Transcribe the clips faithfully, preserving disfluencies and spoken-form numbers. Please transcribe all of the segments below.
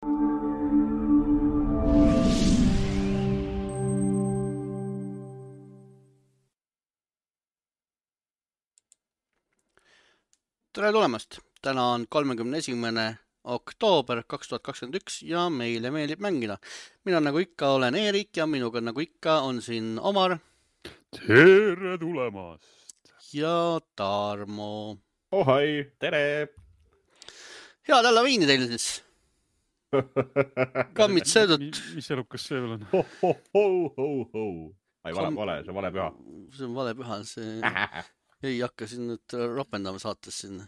Tere tulemast! Täna on kolmekümne esimene oktoober kaks tuhat kakskümmend üks ja meile meeldib mängida. Mina nagu ikka olen Eerik ja minuga nagu ikka on siin Omar. Tere tulemast! Ja Tarmo. Ohai, tere! Head Halloweeni teile siis! Kammid söödud. Mis elukas see veel on? Ho, ho, ho, ho, ho. Ai, vale, vale, see on vale püha. See on vale püha. See... Ei hakka siin nüüd ropendama saates siin.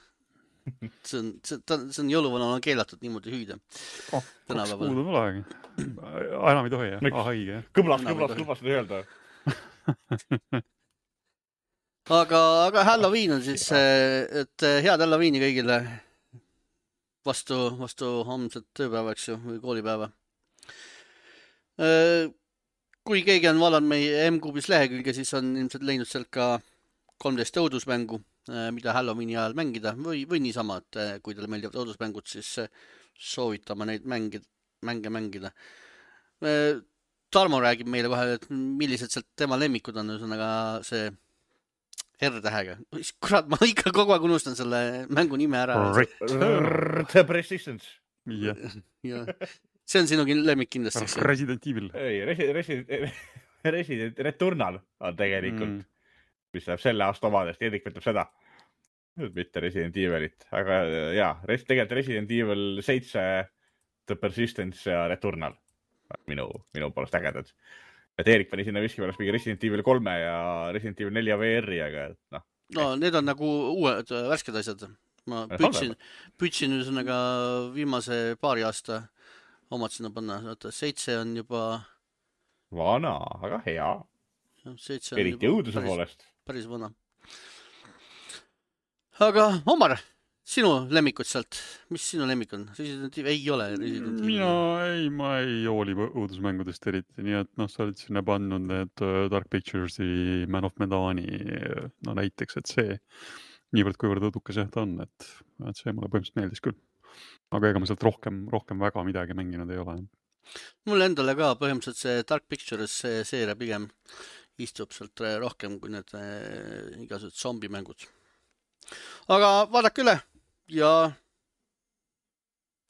See on, see, see on jõuluvanal on keelatud niimoodi hüüda. Oh, kaks kuud on olegi. Enam ei tohi, jah? Ah, haige. Kõblas, kõblas, kõblas seda öelda. aga, aga Halloween on siis, et head Halloweeni kõigile vastu, vastu homset tööpäeva, eks ju, või koolipäeva. Kui keegi on vaadanud meie M-Kuubis lehekülge, siis on ilmselt leidnud sealt ka kolmteist õudusmängu, mida Halloweeni ajal mängida või, või niisama, et kui teile meeldivad õudusmängud, siis soovitame neid mängida, mänge mängida. Tarmo räägib meile kohe, et millised sealt tema lemmikud on, ühesõnaga see R-tähega. Kurat, ma ikka kogu aeg unustan selle mängu nime ära. The Persistence. Ja. Ja. See on sinu lemmik kindlasti. Resident Evil. Ei, Resident, Resident Returnal on tegelikult. Mm. Mis läheb selle aasta omadest, Edik võtab seda. Mitte Resident Evilit. Aga jaa, tegelikult Resident Evil seitse, The Persistence ja Returnal. Minu, minu poolest ägedad. Et Erik pani sinna viski pärast mingi Resident Evil kolme ja Resident Evil neli V R-i, aga noh. No, need on nagu uued värsked asjad. Ma püütsin, püütsin ühesõnaga viimase paari aasta omad sinna panna. Seitse on juba... Vana, aga hea. Eriti õuduse poolest. Päris vana. Aga Omar, sinu lemmikud sealt, mis sinu lemmik on? Resident Evil ei ole Resident Evil. Mina ei, ma ei jooli õudusmängudest eriti, nii et noh, sa oled sinna pannud need Dark Pictures'i Man of Medani, no näiteks, et see niivõrd kuivõrd õudukas jah ta on, et, et see mulle põhimõtteliselt meeldis küll. Aga ega ma sealt rohkem, rohkem väga midagi mänginud ei ole. Mulle endale ka põhimõtteliselt see Dark Pictures see seeria pigem istub sealt rohkem kui need igasugused zombimängud. Aga vaadake üle ja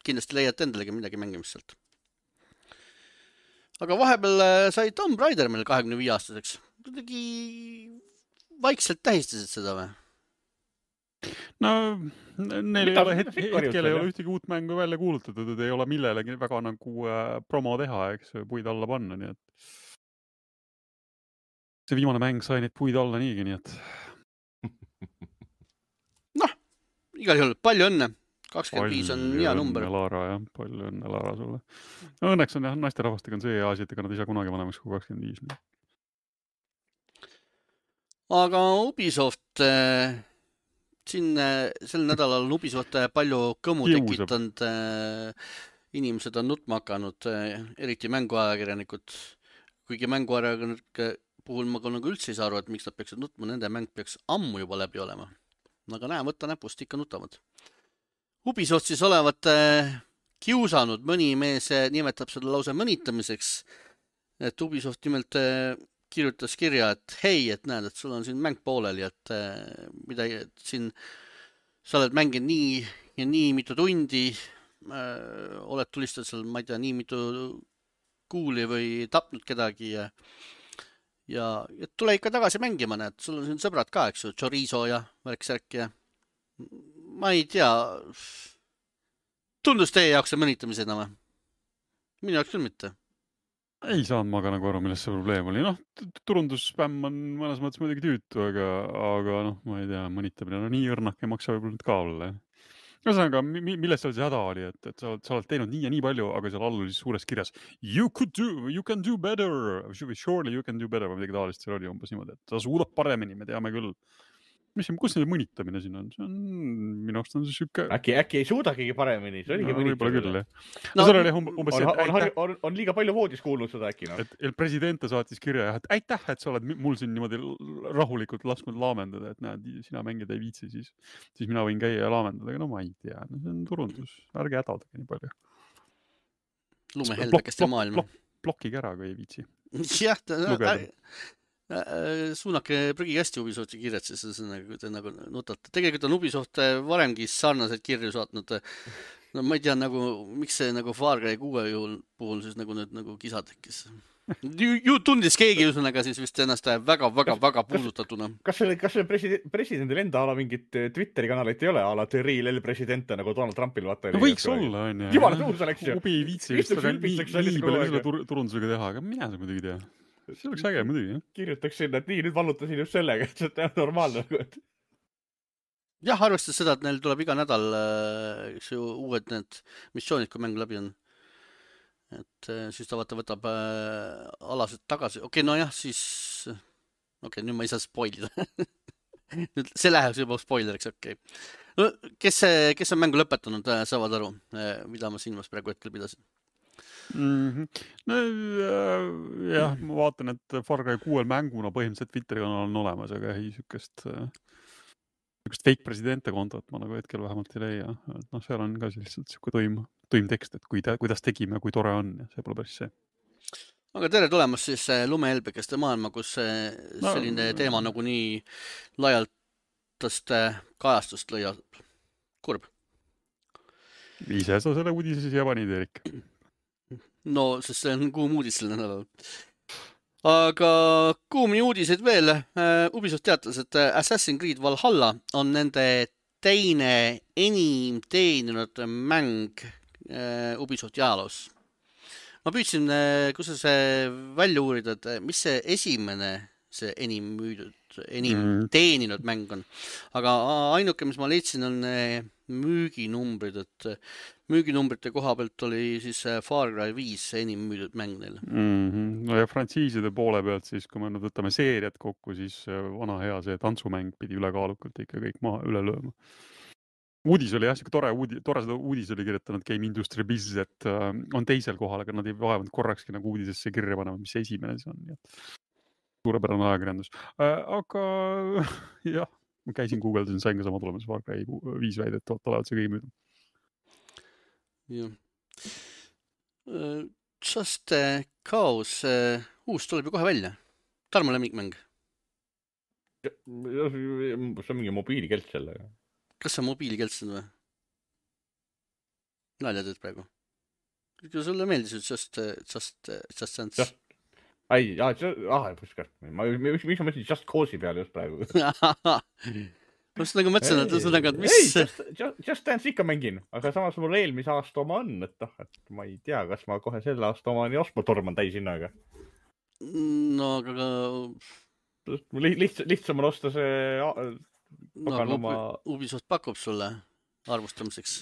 kindlasti leiate endalegi midagi mängimist sealt. Aga vahepeal sai Tomb Raider meil kahekümne viie aastaseks. Kuidagi vaikselt tähistasid seda või? No, neil ei ole het- hetkel ei ole ühtegi uut mängu välja kuulutatud, et ei ole millelegi väga nagu promo teha, eks puid alla panna, nii et see viimane mäng sai neid puid alla niigi, nii et noh, igal juhul palju õnne. kakskümmend viis on hea number. Palju õnne, Laara, jah. Palju õnne, Laara, sulle. No, õnneks on jah, naiste rahvastega on see asi, et ega nad ei saa kunagi vanemaks kui kakskümmend viis. Nii. Aga Ubisoft, äh, siin äh, sel nädalal on Ubisoft palju kõmu Kiusab. tekitanud. Äh, inimesed on nutma hakanud, äh, eriti mänguajakirjanikud. Kuigi mänguajakirjanikud puhul ma nagu üldse ei saa aru, et miks nad peaksid nutma, nende mäng peaks ammu juba läbi olema. Aga näe, võtta näpust ikka nutavad. Ubisoft siis olevat kiusanud, mõni mees nimetab seda lause mõnitamiseks, et Ubisoft nimelt kirjutas kirja, et hei, et näed, et sul on siin mäng pooleli, et mida et siin sa oled mänginud nii ja nii mitu tundi, oled tulistanud seal, ma ei tea, nii mitu kuuli või tapnud kedagi ja Ja et tule ikka tagasi mängima, näed, sul on siin sõbrad ka, eks ju, chorizo ja värk-särk ja ma ei tea, tundus teie jaoks see mõnitamisena või? Minu jaoks küll mitte. Ei saanud ma ka nagu aru, milles see probleem oli. Noh, turundusspämm on mõnes mõttes muidugi tüütu, aga, aga noh, ma ei tea, mõnitamine, no nii õrnak ei maksa võib-olla nüüd ka olla. Ühesõnaga, milles seal see häda oli, et, et sa, oled, sa oled teinud nii ja nii palju, aga seal all oli suures kirjas you could do, you can do better, surely you can do better, või midagi taolist seal oli umbes niimoodi, et ta suudab paremini, me teame küll. Mis, kus see mõnitamine siin on? See on minu arust on see süke... Äkki, äkki ei suudagigi paremini, see oligi no, mõnitamine. No, no, oli umbes on, on, on, on, on liiga palju voodis kuulnud seda äkki. No? Et el presidente saatis kirja, et aitäh, et sa oled mul siin niimoodi rahulikult lasknud laamendada, et näed, sina mängida ei viitsi, siis, siis mina võin käia ja laamendada, aga no ma ei tea, no see on turundus, ärge hädaldage nii palju. lumehelbekeste maailma. Blok, blokige ära, kui ei viitsi. jah, ta, suunake prügikasti Ubisofti kirjad, siis see nagu, te nagu nutate. Tegelikult on Ubisoft varemgi sarnaseid kirju saatnud. No ma ei tea, nagu, miks see nagu Far Cry kuue juhul puhul siis nagu nüüd nagu kisa tekkis. Ju, ju tundis keegi üsnaga siis vist ennast väga, väga, väga puudutatuna. Kas see, kas see president, presidendil enda ala mingit Twitteri kanalit ei ole? Ala The Real Presidente nagu Donald Trumpil vaata. No võiks olla, on jah. Jumala tuus oleks ju. Ubi ei viitsi vist väga nii, nii palju selle tur turundusega teha, aga mina seda muidugi tea. See oleks äge muidugi, jah. Kirjutaks sinna, et nii, nüüd vallutasin just sellega, et see on normaalne. Jah, arvestades seda, et neil tuleb iga nädal üks ju uued need missioonid, kui mäng läbi on. Et siis ta vaata võtab äh, alased tagasi. Okei, okay, no jah, siis... Okei, okay, nüüd ma ei saa spoilida. nüüd see läheks juba spoileriks, okei. Okay. No, kes, kes on mängu lõpetanud, saavad aru, mida ma silmas praegu hetkel pidasin. Mm-hmm. No jah, ma vaatan, et Far Cry kuuel mänguna põhimõtteliselt Twitteri kanal on olemas, aga ei sükest, sükest fake presidente kontot ma nagu hetkel vähemalt ei leia. Et noh, seal on ka lihtsalt siuke toim, toim tekst, et kui ta, kuidas tegime, kui tore on ja see pole päris see. Aga tere tulemast siis lumehelbekeste maailma, kus selline no, teema nagu nii laialtast kajastust lõia. Kurb. Ise sa selle uudise siia panid, Erik. No, sest see on kuum uudis selle nädalal. Aga kuumni uudiseid veel. Ubisoft teatas, et Assassin's Creed Valhalla on nende teine enim teeninud mäng Ubisofti ajaloos. Ma püüdsin, kus see välja uurida, et mis see esimene see enim müüdud, enim mm. teeninud mäng on. Aga ainuke, mis ma leidsin, on müüginumbrid, et müüginumbrite koha pealt oli siis Far Cry viis enim müüdud mäng neil. Mm-hmm. No ja frantsiiside poole pealt siis, kui me nüüd võtame seeriat kokku, siis vana hea see tantsumäng pidi ülekaalukalt ikka kõik maha üle lööma. Uudis oli jah, siuke tore, uudi, tore seda uudis oli kirjutanud Game Industry Biz, et uh, on teisel kohal, aga nad ei vaevanud korrakski nagu uudisesse kirja panema, mis see esimene see on. Suurepärane ajakirjandus. Uh, aga jah, ma käisin Google'is, sain ka sama tulemas Far Cry viis väidet, et olevat see kõige müüdum. Jah. Uh, Just Cause uh, uus tuleb ju kohe välja. Tarmo lemmikmäng. See on mingi mobiilikelt sellega. Kas see mobiilikeltsed või? Nalja teed praegu. Kui sulle meeldis, et just, just, just sense. Just, ai, ah, ah, puskar. Ma, mis, mis ma mõtlesin Just Cause'i peale just praegu? ma just nagu mõtlesin, et ühesõnaga, et mis... Ei, just, just, just Dance ikka mängin, aga samas mul eelmise aasta oma on, et noh, et ma ei tea, kas ma kohe selle aasta oma nii ostma torman täis hinnaga. No, aga... Liht, lihtsam on osta see... No, aga oma... Ubisoft pakub sulle arvustamiseks.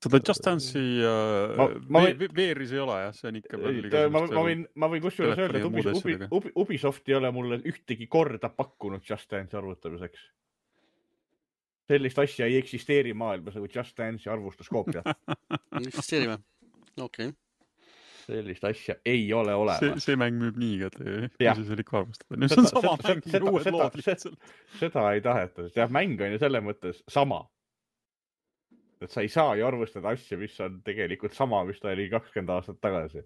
Seda Just Dance'i uh, ma, ma võin... veeris ei ole, jah, see on ikka... Ta, ma, ma võin, ma võin kusjuures öelda, et Ubis, Ubi, Ubi, Ubisoft ei ole mulle ühtegi korda pakkunud Just Dance'i arvutamiseks. Sellist asja ei eksisteeri maailmas nagu Just Dance'i arvustuskoopia. Eksisteeri või? Okei. Okay. Sellist asja ei ole olemas. See, see mäng müüb nii, et ei see ikka arvustada. Nüüd see on sama seda, mäng, seda, uued seda, lood lihtsalt. Seda ei taheta. See mäng on ju selle mõttes sama. Et sa ei saa ju arvustada asja, mis on tegelikult sama, mis ta oli kakskümmend aastat tagasi.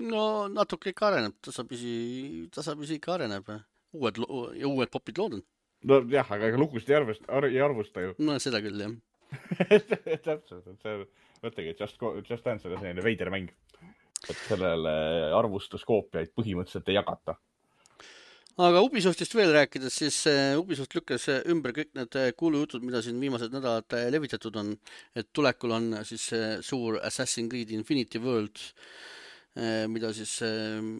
No natuke ikka areneb. Tasapisi, tasapisi ikka areneb. Uued, ja uued popid lood on. No jah, aga lugusid ei arvusta, ei arvusta ju. No seda küll, jah. Täpselt, et see võttegi, et Just, Just Dance oli selline veider mäng. Et sellele arvustuskoopiaid põhimõtteliselt ei jagata. Aga Ubisoftist veel rääkides, siis Ubisoft lükkas ümber kõik need kuulujutud, mida siin viimased nädalad levitatud on. Et tulekul on siis suur Assassin's Creed Infinity World, mida siis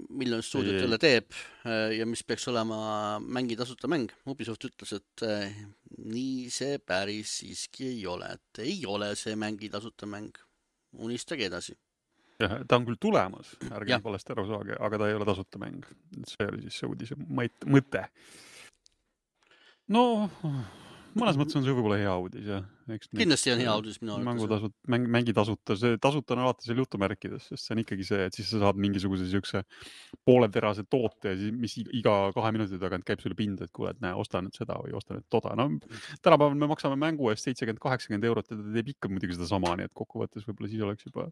Million Studiot jälle teeb ja mis peaks olema mängi tasuta mäng. Ubisoft ütles, et nii see päris siiski ei ole. Et ei ole see mängi tasuta mäng. Unistage edasi. Ja, ta on küll tulemas, ärge valesti aru saage, aga ta ei ole tasuta mäng. See oli siis see uudise mõte. No, mõnes mõttes on see võib-olla hea uudis, jah. Eks kindlasti on hea uudis minu arvates. Mängutasud, mäng, mängi tasuta, see tasuta on alati seal jutumärkides, sest see on ikkagi see, et siis sa saad mingisuguse siukse pooleterase toote, mis iga kahe minuti tagant käib sulle pinda, et kuule, et näe, osta nüüd seda või osta nüüd toda. No, tänapäeval me maksame mängu eest seitsekümmend kaheksakümmend eurot ja ta teeb ikka muidugi seda sama, nii et kokkuvõttes võib-olla siis oleks juba,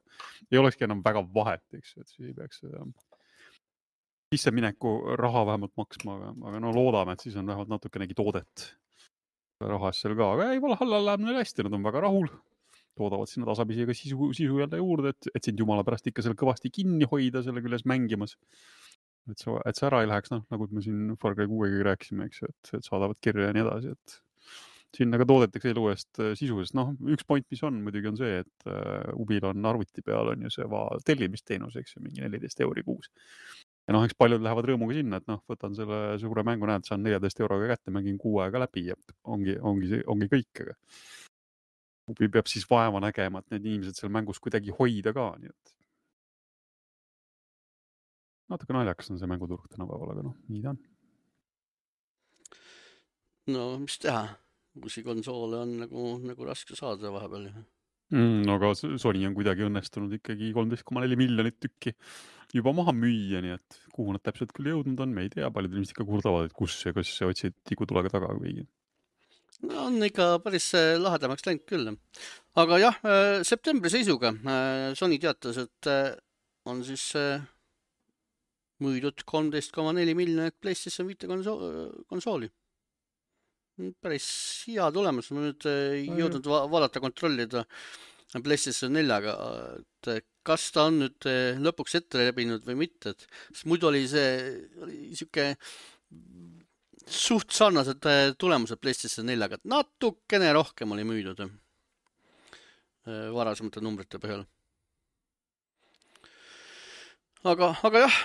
ei olekski enam väga vahet, eks, et siis ei peaks seda sissemineku raha vähemalt maksma, aga, aga no loodame, et siis on vähemalt natukenegi toodet rahas seal ka, aga ei, Valhalla läheb neil hästi, nad on väga rahul, toodavad sinna tasapisi ka sisu, sisu jälle juurde, et, et sind jumala pärast ikka seal kõvasti kinni hoida selle küljes mängimas, et see, et see ära ei läheks, noh, nagu me siin Far Cry kuuega rääkisime, eks, et, et saadavad kirja ja nii edasi, et sinna ka toodetakse elu eest sisu, sest noh, üks point, mis on muidugi on see, et uh, Ubil on arvuti peal on ju see va tellimisteenus, eks ju, mingi neliteist euri kuus. Ja noh, eks paljud lähevad rõõmuga sinna, et noh, võtan selle suure mängu, näed, saan neljateist euroga kätte, mängin kuu aega läbi ja ongi, ongi, ongi kõik. Aga Ubi peab siis vaeva nägema, et need inimesed seal mängus kuidagi hoida ka. Nii et natuke naljakas on see mänguturg tänapäeval, aga noh, nii ta on. No, mis teha? Uusi konsoole on nagu, nagu raske saada vahepeal. Mm, no aga Sony on kuidagi õnnestunud ikkagi kolmteist koma neli miljonit tükki juba maha müüa, nii et kuhu nad täpselt küll jõudnud on, me ei tea, paljud inimesed ikka kurdavad, et kus ja kas otsid tikutulega taga või. No on ikka päris lahedamaks läinud küll. Aga jah, septembri seisuga Sony teatas, et on siis müüdud kolmteist koma neli miljonit PlayStation viis konsooli. Päris hea tulemus, ma nüüd ei jõudnud va vaadata, kontrollida PlayStation neljaga, et kas ta on nüüd lõpuks ette lebinud või mitte, et muidu oli see oli siuke suht sarnased tulemused PlayStation neljaga, et natukene rohkem oli müüdud varasemate numbrite põhjal. Aga, aga jah,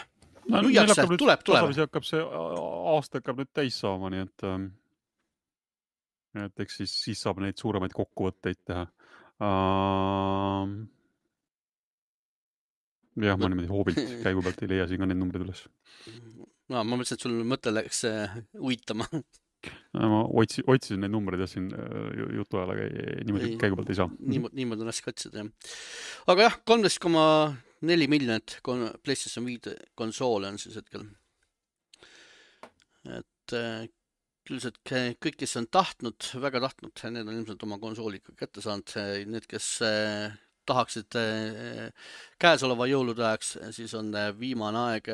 no, müüakse, tuleb, tuleb. Hakkab see aasta hakkab nüüd täis saama, nii et et eks siis, siis saab neid suuremaid kokkuvõtteid teha. Uh, jah, ma niimoodi hoobilt käigu pealt ei leia siin ka need numbrid üles. No, ma mõtlesin, et sul mõte läks uitama. Ma otsi, otsisin neid numbreid ja siin jutu ajal, aga niimoodi käigu pealt ei saa. Niimoodi, niimoodi on raske otsida, jah. Aga jah, kolmteist koma neli miljonit PlayStation viis konsoole on siis hetkel. Et üldiselt kõik, kes on tahtnud, väga tahtnud, need on ilmselt oma konsooli kätte saanud. Need, kes tahaksid käesoleva jõulude ajaks, siis on viimane aeg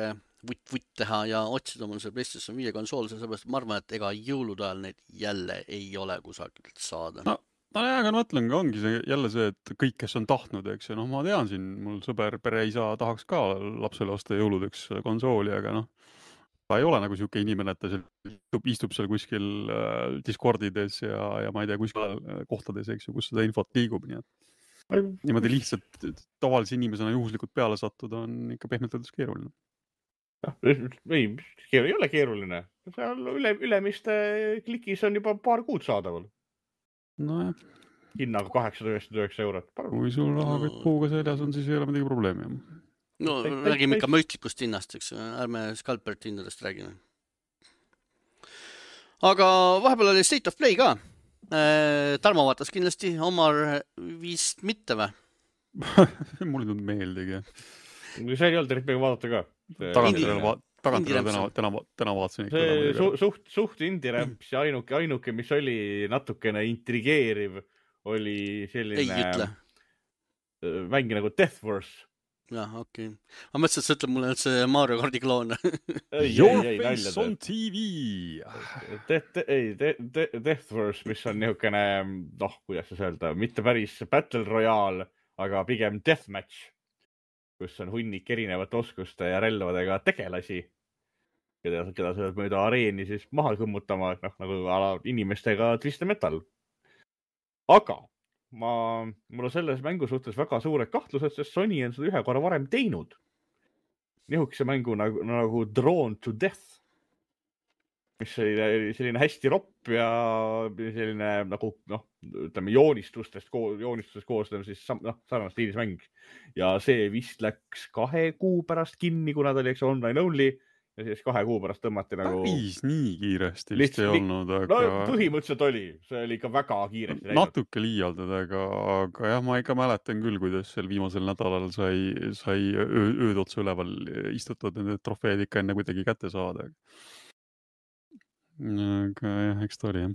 vutt-vutt teha ja otsida oma see PlayStation viis konsool, sellepärast ma arvan, et ega jõulude ajal neid jälle ei ole kusagilt saada. No, no jah, aga ma mõtlen, ongi see jälle see, et kõik, kes on tahtnud, eks ja noh, ma tean siin, mul sõber pereisa tahaks ka lapsele osta jõuludeks konsooli, aga noh, ta ei ole nagu siuke inimene, et ta seal istub, istub seal kuskil äh, Discordides ja, ja ma ei tea, kuskil kohtades, eks ju, kus seda infot liigub. Nii et niimoodi lihtsalt tavalise inimesena juhuslikult peale sattuda on ikka pehmelt öeldes keeruline. Ei, ei ole keeruline. Seal üle, ülemiste klikis on juba paar kuud saadaval. No jah. Hinnaga kaheksasada üheksakümmend üheksa eurot. Kui sul rahakott puuga seljas on, siis ei ole midagi probleemi. No räägime ikka mõistlikust hinnast, eks, ärme Scalpert hindadest räägime. Aga vahepeal oli State of Play ka. Tarmo vaatas kindlasti, Omar vist mitte või? Mul ei tulnud meeldegi. See ei olnud tervega vaadata ka. Tagantele täna, täna vaatasin. See su, suht, suht indie-raps ja ainuke, ainuke, mis oli natukene intrigeeriv, oli selline mängi nagu Death Force. jah, okei okay.. ma mõtlesin, et sa ütled mulle, et see Mario Kardi kloon. Your face on T V. Ei, Death Force, mis on niisugune, noh, kuidas sa öelda, mitte päris Battle Royale, aga pigem Deathmatch, kus on hunnik erinevate oskuste ja relvadega tegelasi, keda, keda sa oled mööda areeni siis maha kõmmutama, noh, nagu ala inimestega Twisted Metal. Aga ma, mul on selles mängu suhtes väga suured kahtlused, sest Sony on seda ühe korra varem teinud. Nihukese mängu nagu, nagu Drawn to Death, mis oli selline hästi ropp ja selline nagu, noh, ütleme joonistustest, joonistustest koosnev siis noh, sarnast stiilis mäng. Ja see vist läks kahe kuu pärast kinni, kuna ta oli eks online only ja siis kahe kuu pärast tõmmati nagu... Päris nii kiiresti vist ei olnud, aga... No põhimõtteliselt oli, see oli ikka väga kiiresti läinud. Natuke liialdad, aga, aga jah, ma ikka mäletan küll, kuidas seal viimasel nädalal sai, sai öö, ööd otsa üleval istutud nende trofeed ikka enne kuidagi kätte saada. Aga jah, eks ta oli jah.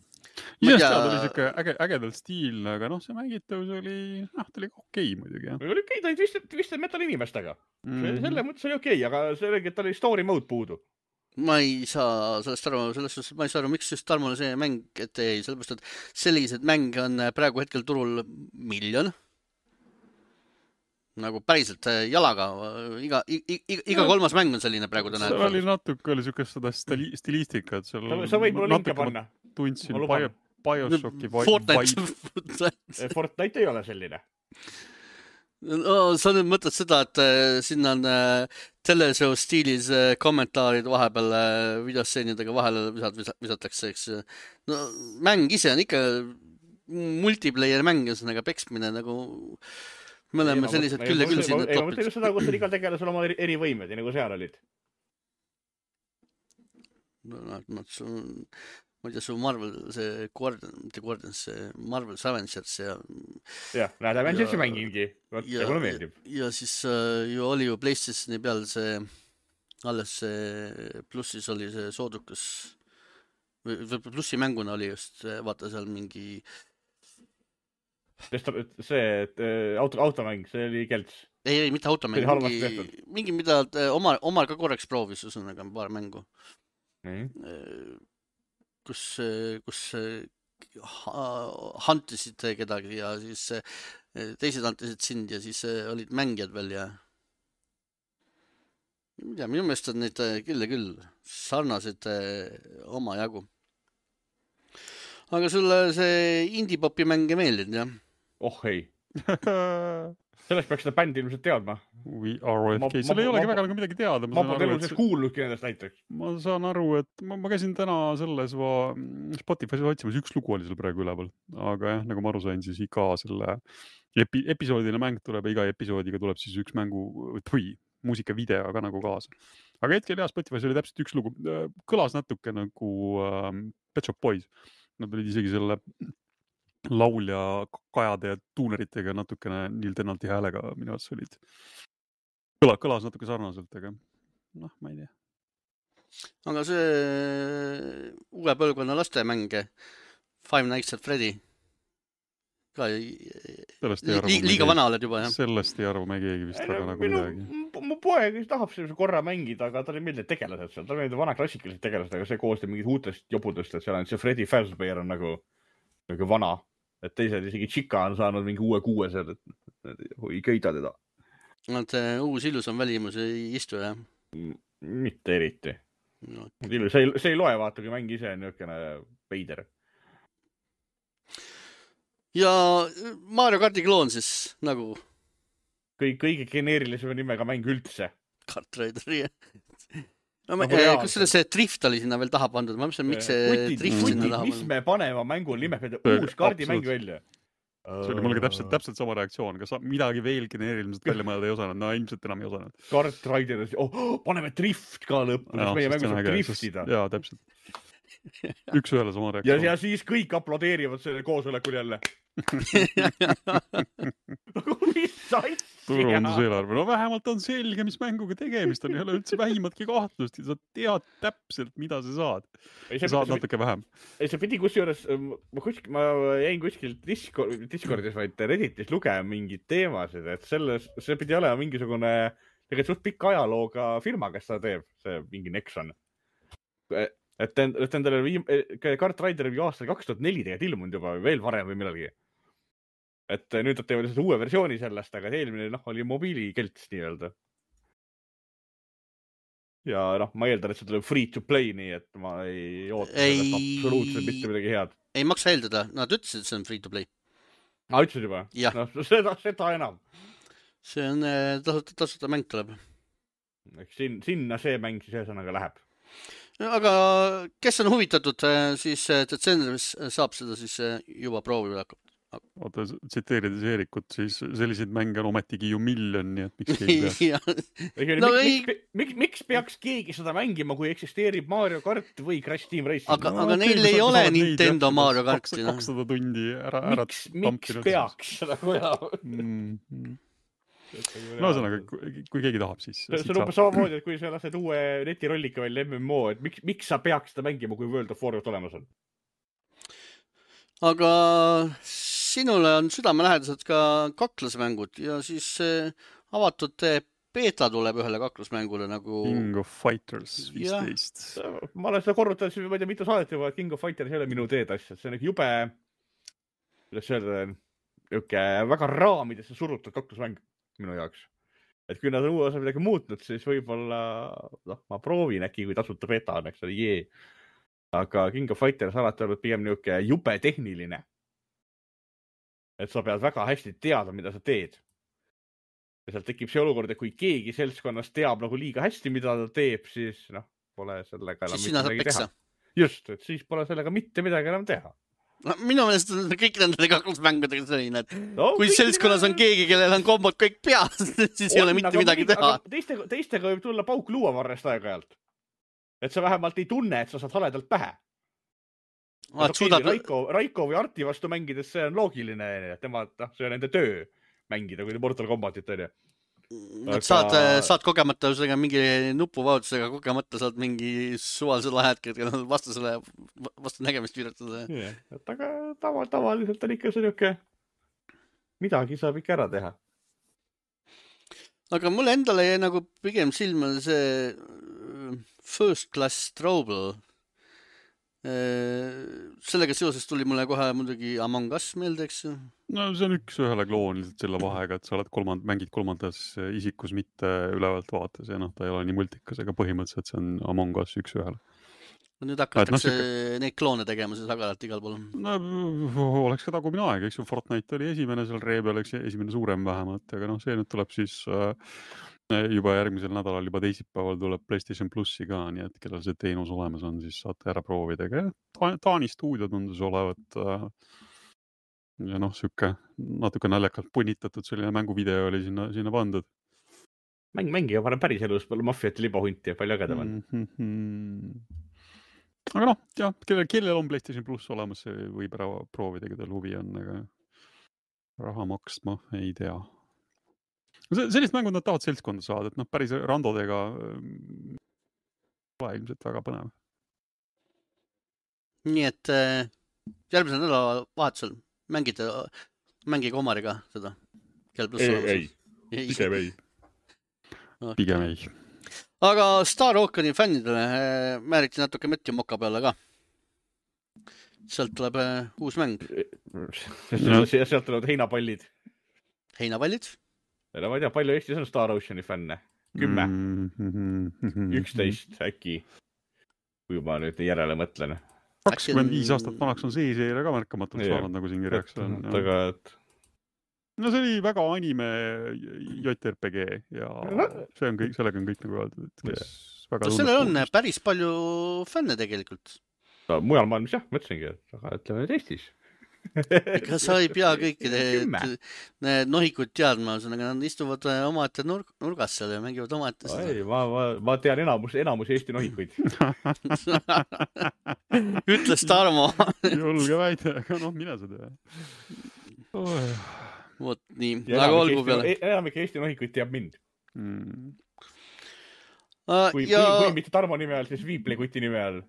Isest seal oli siuke äge, ägedalt stiilne, aga noh, see mängitavus oli, noh, ta oli okei muidugi, jah. Oli okei, ta oli vist, vist metal inimestega. Mm-hmm. Selle mõttes oli okei, aga see oligi, et ta oli story mode puudu. Ma ei saa sellest aru, selles suhtes, ma ei saa aru, miks just Tarmole see mäng ette jäi, sellepärast, et sellised mänge on praegu hetkel turul miljon. Nagu päriselt jalaga, iga, iga, iga kolmas mäng on selline praegu täna. See oli natuke, oli siukest seda stili, stilistikat. Seal sa võid mulle linke panna. Tundsin Bio, Bioshocki Fortnite. Fortnite ei ole selline. No, sa nüüd mõtled seda, et sinna on teleshow stiilis kommentaarid vahepeal videosseenidega vahele visat, visatakse, eks. No, mäng ise on ikka multiplayer mäng, ühesõnaga peksmine nagu... Me oleme sellised küll ja küll siin. Ei, ma mõtlen just seda, kus on igal tegelasel oma eri võimed ja nagu seal olid. No, no, su, ma ei tea, su Marvel, see Guardian, mitte Guardian, see Marvel Avengers ja... Jah, näed, Avengersi mängingi. Ja, ja, ja siis äh, ju oli ju PlayStationi peal see, alles see plussis oli see soodukas, või plussi mänguna oli just, vaata seal mingi... see auto, automäng, see oli kelts. Ei, ei, mitte automäng, mingi, mingi mida omal, omal ka korraks proovis, üsõnaga paar mängu. Mm. Kus, kus hantisid kedagi ja siis teised hantisid sind ja siis olid mängijad veel ja mida, minu meelest on neid küll ja küll sarnased oma jagu. Aga sulle see indie-popi mänge meeldid, jah? Oh ei. Sellest peaks seda bändi ilmselt teadma. We are O F K. Seal ei olegi väga nagu midagi teada. Ma pole eluses kuulnudki nendest näiteks. Ma saan aru, et ma, ma käisin täna selles va, Spotify's otsimas, üks lugu oli seal praegu üleval. Aga jah, nagu ma aru sain, siis iga selle epi, episoodine mäng tuleb ja iga episoodiga tuleb siis üks mängu või muusikavideo ka nagu kaasa. Aga hetkel jah, Spotify's oli täpselt üks lugu. Kõlas natuke nagu ähm, Pet Shop Boys. Nad olid isegi selle laulja kajade ja tuuneritega natukene Neil Tennanti häälega minu arvates olid. Kõla, kõlas natuke sarnaselt, aga noh, ma ei tea. Aga see uue põlvkonna lastemänge Five Nights at Freddy ka li, liiga vana oled juba, jah. Sellest ei arvu me keegi vist väga nagu midagi. Mu poeg tahab sellise korra mängida, aga ta ei meeldi tegelased seal. Ta meeldi vana klassikalised tegelased, aga see koostab mingid uutest jobudest, et seal on see Freddy Fazbear on nagu, nagu vana. Et teised isegi Chica on saanud mingi uue kuue seal, et ei köida teda. Nad uus ilus on välimus ei istu, jah? Mitte eriti. No. See, ei, see ei loe, vaata, kui mäng ise on niisugune veider. Ja Mario Karti kloon siis nagu? Kõige, kõige geneerilisema nimega mäng üldse. Kart Raider, jah. No, no, eh, kus selle see drift oli sinna veel taha pandud? Ma mõtlen, miks see Kutid, drift kutid, sinna taha mis pandud? Mis me panema mängu nime peale uus kaardimäng välja? See oli mulle täpselt, täpselt sama reaktsioon. Kas midagi veel geneeriliselt välja mõelda ei osanud? No ilmselt enam ei osanud. Kart Raider, oh, paneme drift ka lõppu, sest meie mängu saab driftida. Jaa, täpselt. Üks ühele sama reaktsioon. Ja, ja siis kõik aplodeerivad selle koosolekul jälle. Mis asja? Turunduseelarve. No vähemalt on selge, mis mänguga tegemist on. Ei ole üldse vähimatki kahtlust. Sa tead täpselt, mida sa saad. Sa saad natuke vähem. See pidi kusjuures, ma, kuskil, ma jäin kuskil Discord, Discordis, vaid Redditis lugema mingid teemasid, et selles, see pidi olema mingisugune tegelikult suht pikk ajalooga firma, kes seda teeb, see mingi Nexon. Et endale viim... Kart Raider oli aastal kaks tuhat neli tegelikult ilmunud juba veel varem või millalgi. Et nüüd nad teevad uue versiooni sellest, aga eelmine noh, oli mobiilikelts nii-öelda. Ja noh, ma eeldan, et see tuleb free to play, nii et ma ei oota ei... sellest absoluutselt mitte midagi head. Ei maksa eeldada, nad ütlesid, et see on free to play. Ah, ütlesid juba? Ja. No, seda, seda enam. See on tasuta, tasuta mäng tuleb. Sin, sinna see mäng siis ühesõnaga läheb. Aga kes on huvitatud, siis detsembris saab seda siis juba proovida oota, tsiteerides Eerikut, siis selliseid mänge on ometigi ju miljon, nii et miks keegi peaks. no, miks, ei... miks, miks, miks peaks keegi seda mängima, kui eksisteerib Mario Kart või Crash Team Racing? Aga, no, aga neil ei ole Nintendo jah, Mario Karti. kakssada tundi ära, ära miks, miks peaks seda koja? Mm-hmm. No ühesõnaga, kui keegi tahab, siis... See on umbes samamoodi, et kui sa lased uue netirollika välja M M O, et miks, miks sa peaks seda mängima, kui World of Warcraft olemas on? Aga sinule on südamelähedased ka kaklusmängud ja siis avatud beeta tuleb ühele kaklusmängule nagu... King of Fighters viisteist. Ma olen seda korrutanud, ma ei tea, mitu saadet juba, et King of Fighters ei ole minu teed asja. See on jube, kuidas öelda, väga raamidesse surutud kaklusmäng minu jaoks. Et kui nad on uue osa midagi muutnud, siis võib-olla noh, ma proovin äkki, kui tasuta beta on, eks ole, jee. Aga King of Fighters alati olnud pigem niuke jube tehniline. Et sa pead väga hästi teada, mida sa teed. Ja sealt tekib see olukord, et kui keegi seltskonnast teab nagu liiga hästi, mida ta teeb, siis noh, pole sellega enam siis mitte midagi teha. Just, et siis pole sellega mitte midagi enam teha. No, minu meelest on kõik nende kaklusmängudega selline, et no, kui seltskonnas on keegi, kellel on kombod kõik peas, siis on, ei ole mitte midagi teha. Teistega, teistega võib tulla pauk luuavarrest aeg-ajalt. Et sa vähemalt ei tunne, et sa saad haledalt pähe. Ah, suudad... Raiko, Raiko või Arti vastu mängides see on loogiline, et tema, noh, see on nende töö mängida, kui Mortal Kombatit on ju. Aga... Saad, saad kogemata mingi nupuvajutusega, kogemata saad mingi suvalise lahetke, et vastasele vastu nägemist viiratada. Yeah, et aga tava, tavaliselt on ikka see niuke, midagi saab ikka ära teha. Aga mulle endale jäi nagu pigem silma see First Class Trouble. Sellega seoses tuli mulle kohe muidugi Among Us meelde, eks ju? No see on üks ühele kloon lihtsalt selle vahega, et sa oled kolmand, mängid kolmandas isikus, mitte ülevalt vaates ja noh, ta ei ole nii multikas, aga põhimõtteliselt see on Among Us üks ühele. Nüüd hakatakse no, see... neid kloone tegema siis agaralt igal pool. No oleks ka tagumine aeg, eks ju, Fortnite oli esimene seal ree peal, eks esimene suurem vähemalt, aga noh, see nüüd tuleb siis äh, juba järgmisel nädalal, juba teisipäeval tuleb PlayStation Plussi ka, nii et kellel see teenus olemas on, siis saate ära proovida. Taani stuudio tundus olevat äh, ja noh, sükke natuke naljakalt punnitatud, selline mänguvideo oli sinna, sinna pandud. Mäng mängi ja panen päris elus palju maffiat ja libahunti ja palju ägedam on. Mm-hmm. Aga noh, jah, kellel, kellel on PlayStation Plus olemas, see võib ära proovida, kellel huvi on, aga raha maksma ei tea. Sellist mängud nad tahavad seltskonda saada, et noh, päris randodega pole ilmselt väga põnev. Nii et järgmisel nädala vahetusel mängite, mängige Omariga seda? Ei, ei, pigem ei. Okay. Pigem ei. Aga Star Oceani fännidele määriti natuke Matthew Moka peale ka. Sealt tuleb uus mäng. Sealt tulevad heinapallid. Heinapallid? Ja ma ei tea, palju Eestis on Star Oceani fänne? Kümme? Üksteist äkki. Kui ma nüüd järele mõtlen. kakskümmend viis aastat vanaks on see seire ka märkamatult saanud, nagu siin kirjaks on. Aga et... No see oli väga anime J R P G ja see on kõik, sellega on kõik nagu öeldud. Et väga no sellel on päris palju fänne tegelikult. No, mujal maailmas jah, mõtlesingi, aga ütleme nüüd Eestis. Ega sa ei pea kõikide need nohikud teadma, nad istuvad omaette nurg, nurgas seal ja mängivad omaette seda. Ei, ma, ma, ma tean enamus, enamus Eesti nohikuid. Ütles Tarmo. Julge väide, aga noh, mine seda. Oh. Vot nii, aga olgu peale. Enamik Eesti nohikuid teab mind. Mm. Uh, kui, ja... kui, kui mitte Tarmo nime all, siis Viiplekuti nime all.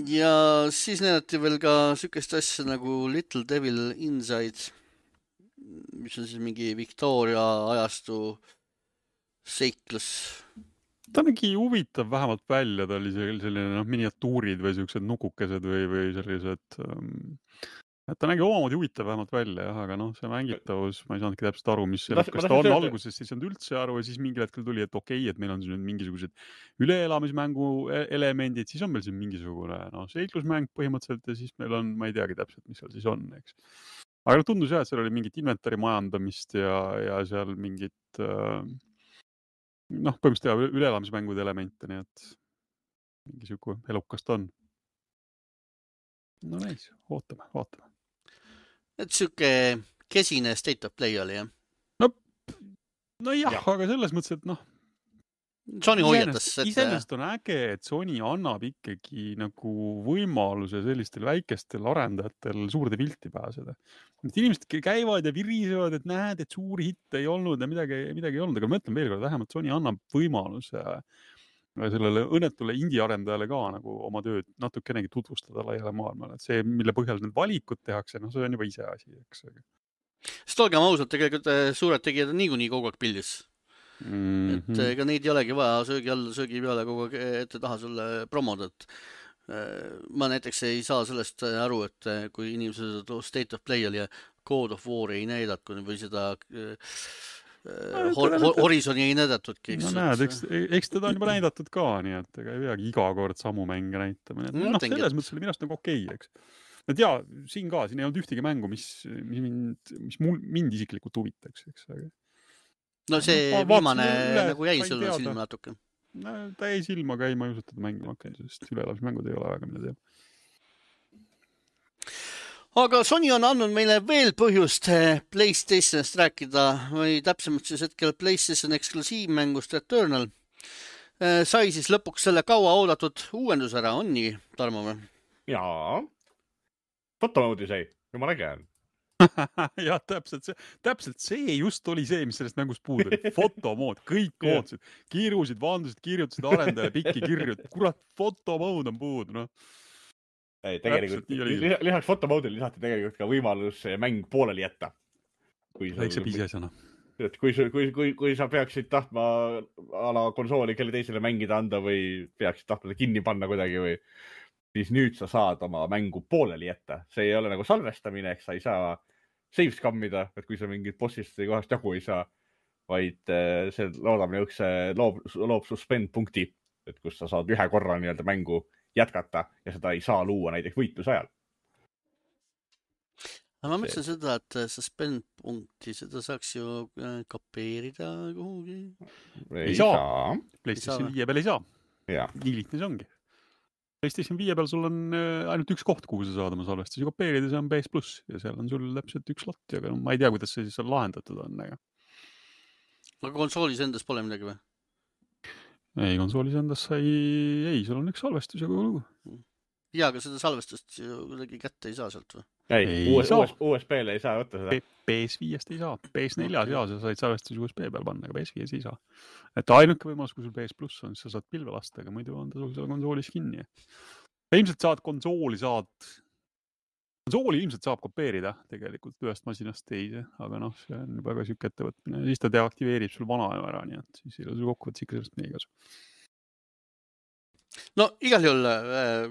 Ja siis näidati veel ka sükest asja nagu Little Devil Inside, mis on siis mingi Victoria ajastu seiklus. Ta nägi huvitav vähemalt välja, ta oli selline no, miniatuurid või sellised nukukesed või, või sellised... Um... Ta nägi omamoodi huvitav vähemalt välja, jah, aga noh, see mängitavus, ma ei saanudki täpselt aru, mis see, kas ta on alguses, siis on üldse aru ja siis mingil hetkel tuli, et okei, et meil on siin mingisugused üleelamismängu elemendid, siis on meil siin mingisugune no, seiklusmäng põhimõtteliselt ja siis meil on, ma ei teagi täpselt, mis seal siis on, eks. Aga tundus jah, et seal oli mingit inventari majandamist ja, ja seal mingit äh, noh, põhimõtteliselt üleelamismängude elemente, nii et mingisugune elukast on. No näis, ootame, vaatame. et siuke kesine state of play oli, jah? no, no jah, Jah. aga selles mõttes, et noh, Sony hoiatas, iseenesest, et iseenesest on äge, et Sony annab ikkagi nagu võimaluse sellistel väikestel arendajatel suurde pilti pääseda. Et inimesed käivad ja virisevad, et näed, et suuri hitte ei olnud ja midagi, midagi ei olnud, aga ma mõtlen veel kord, vähemalt Sony annab võimaluse sellele õnnetule indie-arendajale ka nagu oma tööd natukenegi tutvustada laiale maailmale. Et see, mille põhjal need valikud tehakse, noh, see on juba ise asi, eks. Sest olgem ausalt, tegelikult eh, suured tegijad on niikuinii kogu aeg pildis. Mm-hmm. Et ega neid ei olegi vaja söögi all, söögi peale kogu aeg ette taha sulle promoda, et ma näiteks ei saa sellest aru, et kui inimesed State of Play oli ja God of War ei näidatud või seda no, Horizoni ei näidatudki. No näed, eks, eks teda on juba näidatud ka, nii et ega ei peagi iga kord samu mänge näitama. No, no selles mõttes oli minust nagu okei, eks. Et jaa, siin ka, siin ei olnud ühtegi mängu, mis, mis, mind, mis mul, mind isiklikult huvitaks, eks. No see no, viimane üle, nagu jäi sulle silma natuke. No, ta jäi silma, aga ei, ma ei usu teda mängima hakkan, sest üleelamismängud ei ole väga, mida teeb. Aga Sony on andnud meile veel põhjust PlayStationist rääkida või täpsemalt siis hetkel PlayStation eksklusiivmängust Returnal. Sai siis lõpuks selle kaua oodatud uuendus ära, on nii, Tarmo või? Jaa. Fotomoodi sai, jumal äge on. jah, täpselt see, täpselt see just oli see, mis sellest mängust puudub. Fotomood, kõik ootasid, kiirusid, vandusid, kirjutasid arendajale pikki kirju. Kurat, fotomood on puudu, noh. Ei, tegelikult lisaks fotomoodile lisati tegelikult ka võimalus mäng pooleli jätta. Väikse piisesana. Et kui, kui, kui, kui sa peaksid tahtma ala konsooli kelle teisele mängida anda või peaksid tahtma kinni panna kuidagi või siis nüüd sa saad oma mängu pooleli jätta. See ei ole nagu salvestamine, eks sa ei saa save skammida, et kui sa mingit bossist või kohast jagu ei saa, vaid see loodab niukse loob, loob suspend punkti, et kus sa saad ühe korra nii-öelda mängu jätkata ja seda ei saa luua näiteks võitluse ajal. Ma mõtlen seda, et suspend punkti, seda saaks ju kopeerida kuhugi. Ei saa. PlayStation viie peal ei saa. Nii lihtne see ongi. PlayStation viie peal sul on ainult üks koht, kuhu sa saad oma salvestusi kopeerida, see on P S plus ja seal on sul täpselt üks slot, aga ma ei tea, kuidas see siis seal lahendatud on. Aga, aga konsoolis endas pole midagi või? Ei, konsoolis endas sai, ei, sul on üks salvestus ja kogu lugu. Ja, aga seda salvestust ju kuidagi kätte ei saa sealt või? Ei, ei U S B-le ei saa võtta seda. P S viiest ei saa, P S neljas okay. Ja sa said salvestusi U S B peal panna, aga P S viies ei saa. Et ainuke võimalus, kui sul P S plus on, siis sa saad pilve lasta, aga muidu on ta sul seal konsoolis kinni. Ja ilmselt saad konsooli saad, konsooli ilmselt saab kopeerida tegelikult ühest masinast teise, aga noh, see on väga süük ettevõtmine. Siis ta deaktiveerib sul vana ära, nii et siis ei ole sul kokkuvõttes ikka sellest meie kasu. No igal juhul äh,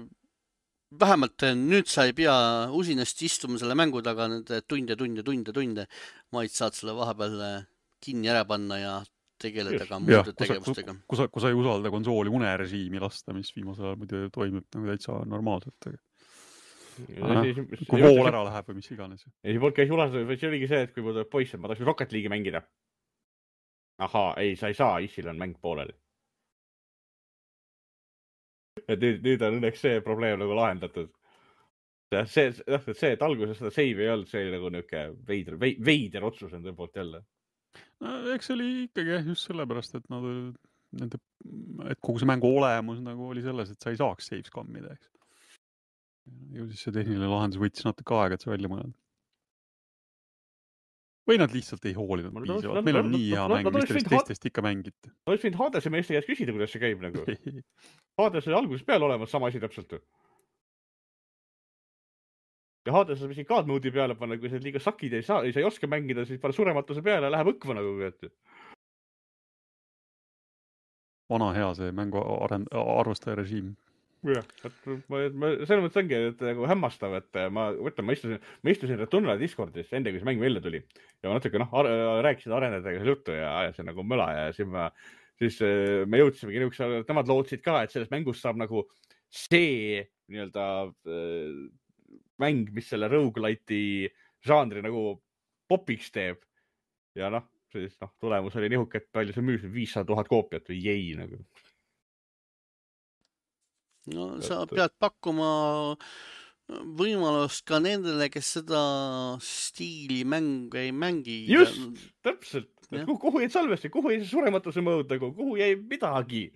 vähemalt nüüd sa ei pea usinasti istuma selle mängu taga nende tunde, tunde, tunde, tunde, vaid saad selle vahepeal kinni ära panna ja tegeleda ka muude ja, tegevustega. Kui sa, kui sa ei usalda konsooli unerežiimi lasta, mis viimasel ajal muidu toimub nagu täitsa normaalselt. Aga, kui vool ära läheb või mis iganes. Ei, see käis ulastada, see oligi see, et kui mul tuleb poiss, et ma tahaks Rocket League'i mängida. Ahaa, ei, sa ei saa, issil on mäng pooleli. Et nüüd, nüüd on õnneks see probleem nagu lahendatud. See, see, et alguses seda save ei olnud, see oli nagu niuke veider, veider otsus on tõepoolest jälle. No, eks oli ikkagi just sellepärast, et, nad, nende, et kogu see mängu olemus nagu oli selles, et sa ei saaks save skammida, eks. Ju siis see tehniline lahendus võttis natuke aega, et see välja mõelda. Või nad lihtsalt ei hoolinud no, piisavalt. Meil on no, nii hea no, mäng, no, mis teist teistest ikka mängiti. Ma oleks võinud Hadese meeste käest küsida, kuidas see käib nagu. Hades oli alguses peal olemas sama asi täpselt. Ja Hades on misi God mode'i peale panna, kui sa liiga sakid ei saa, ei sa ei oska mängida, siis pane surematuse peale ja läheb õkva nagu. Vana hea see mängu arend, arvustaja režiim. jah, et ma, ma selles mõttes ongi, et nagu hämmastav, et ma võtan, ma istusin, ma istusin Returnal Discordis enne, kui see mäng välja tuli ja ma natuke, noh, rääkisin arendajatega seal juttu ja ajasin nagu möla ja siis ma, siis me jõudsimegi niisuguse, nemad lootsid ka, et sellest mängust saab nagu see nii-öelda mäng, mis selle roguelite'i žanri nagu popiks teeb ja noh, siis noh, tulemus oli nihuke, et palju see müüs viissada tuhat koopiat või jäi nagu. No sa pead pakkuma võimalust ka nendele, kes seda stiili mängu ei mängi. Just, täpselt. Kuhu, kuhu jäid salvesti, kuhu jäi surematuse mõõd, kuhu jäi midagi.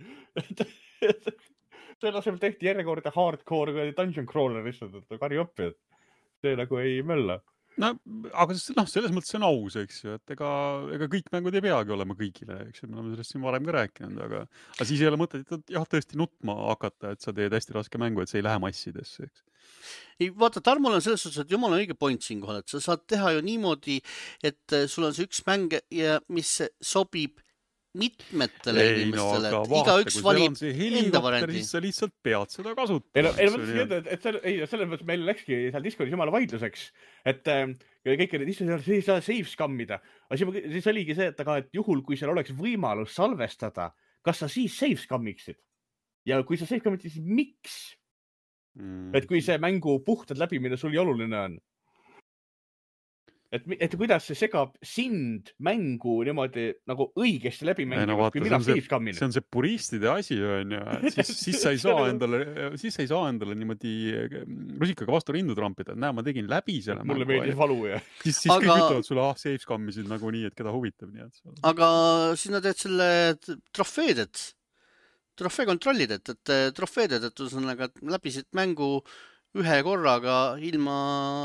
Selle asemel tehti järjekordne hardcore dungeon crawler lihtsalt, et kari oppi, et see nagu ei mölla. No, aga no, selles mõttes see on aus, eks ju, et ega, ega kõik mängud ei peagi olema kõigile, eks ju, me oleme sellest siin varem ka rääkinud, aga, aga siis ei ole mõtet, et jah, tõesti nutma hakata, et sa teed hästi raske mängu, et see ei lähe massidesse, eks. Ei, vaata, Tarmol on selles suhtes, et jumal on õige point siin kohal, et sa saad teha ju niimoodi, et sul on see üks mäng, ja mis sobib mitmetele ei, inimestele, no, et iga üks valib enda variandi. Siis sa lihtsalt pead seda kasutama. Ei, no, ei, no mõtlesin, et, et selle, ei, selles mõttes meil läkski seal Discordis jumala vaidluseks, et äh, kõik olid isse ei saa save skammida. Aga siis, siis oligi see, et, aga, et juhul, kui seal oleks võimalus salvestada, kas sa siis save skammiksid? Ja kui sa save skammiksid, siis miks? Mm. Et kui see mängu puhtad läbi, mida sul oluline on. Et, et kuidas see segab sind mängu niimoodi nagu õigesti läbi mängu, no, kui mina save skammin. See on see puristide asi, on ju. Siis, siis, sa ei saa endale, siis sa ei saa endale niimoodi rusikaga vastu rindu trampida. Näe, ma tegin läbi selle Mulle mängu. Mulle meeldis valu, jah. Siis, siis aga... kõik ütlevad sulle, ah, save skammisid nagu nii, et keda huvitab. Nii, et aga sina teed selle trofeedet, trofee kontrollid, et, et trofeedet, et ühesõnaga läbisid mängu ühe korraga ilma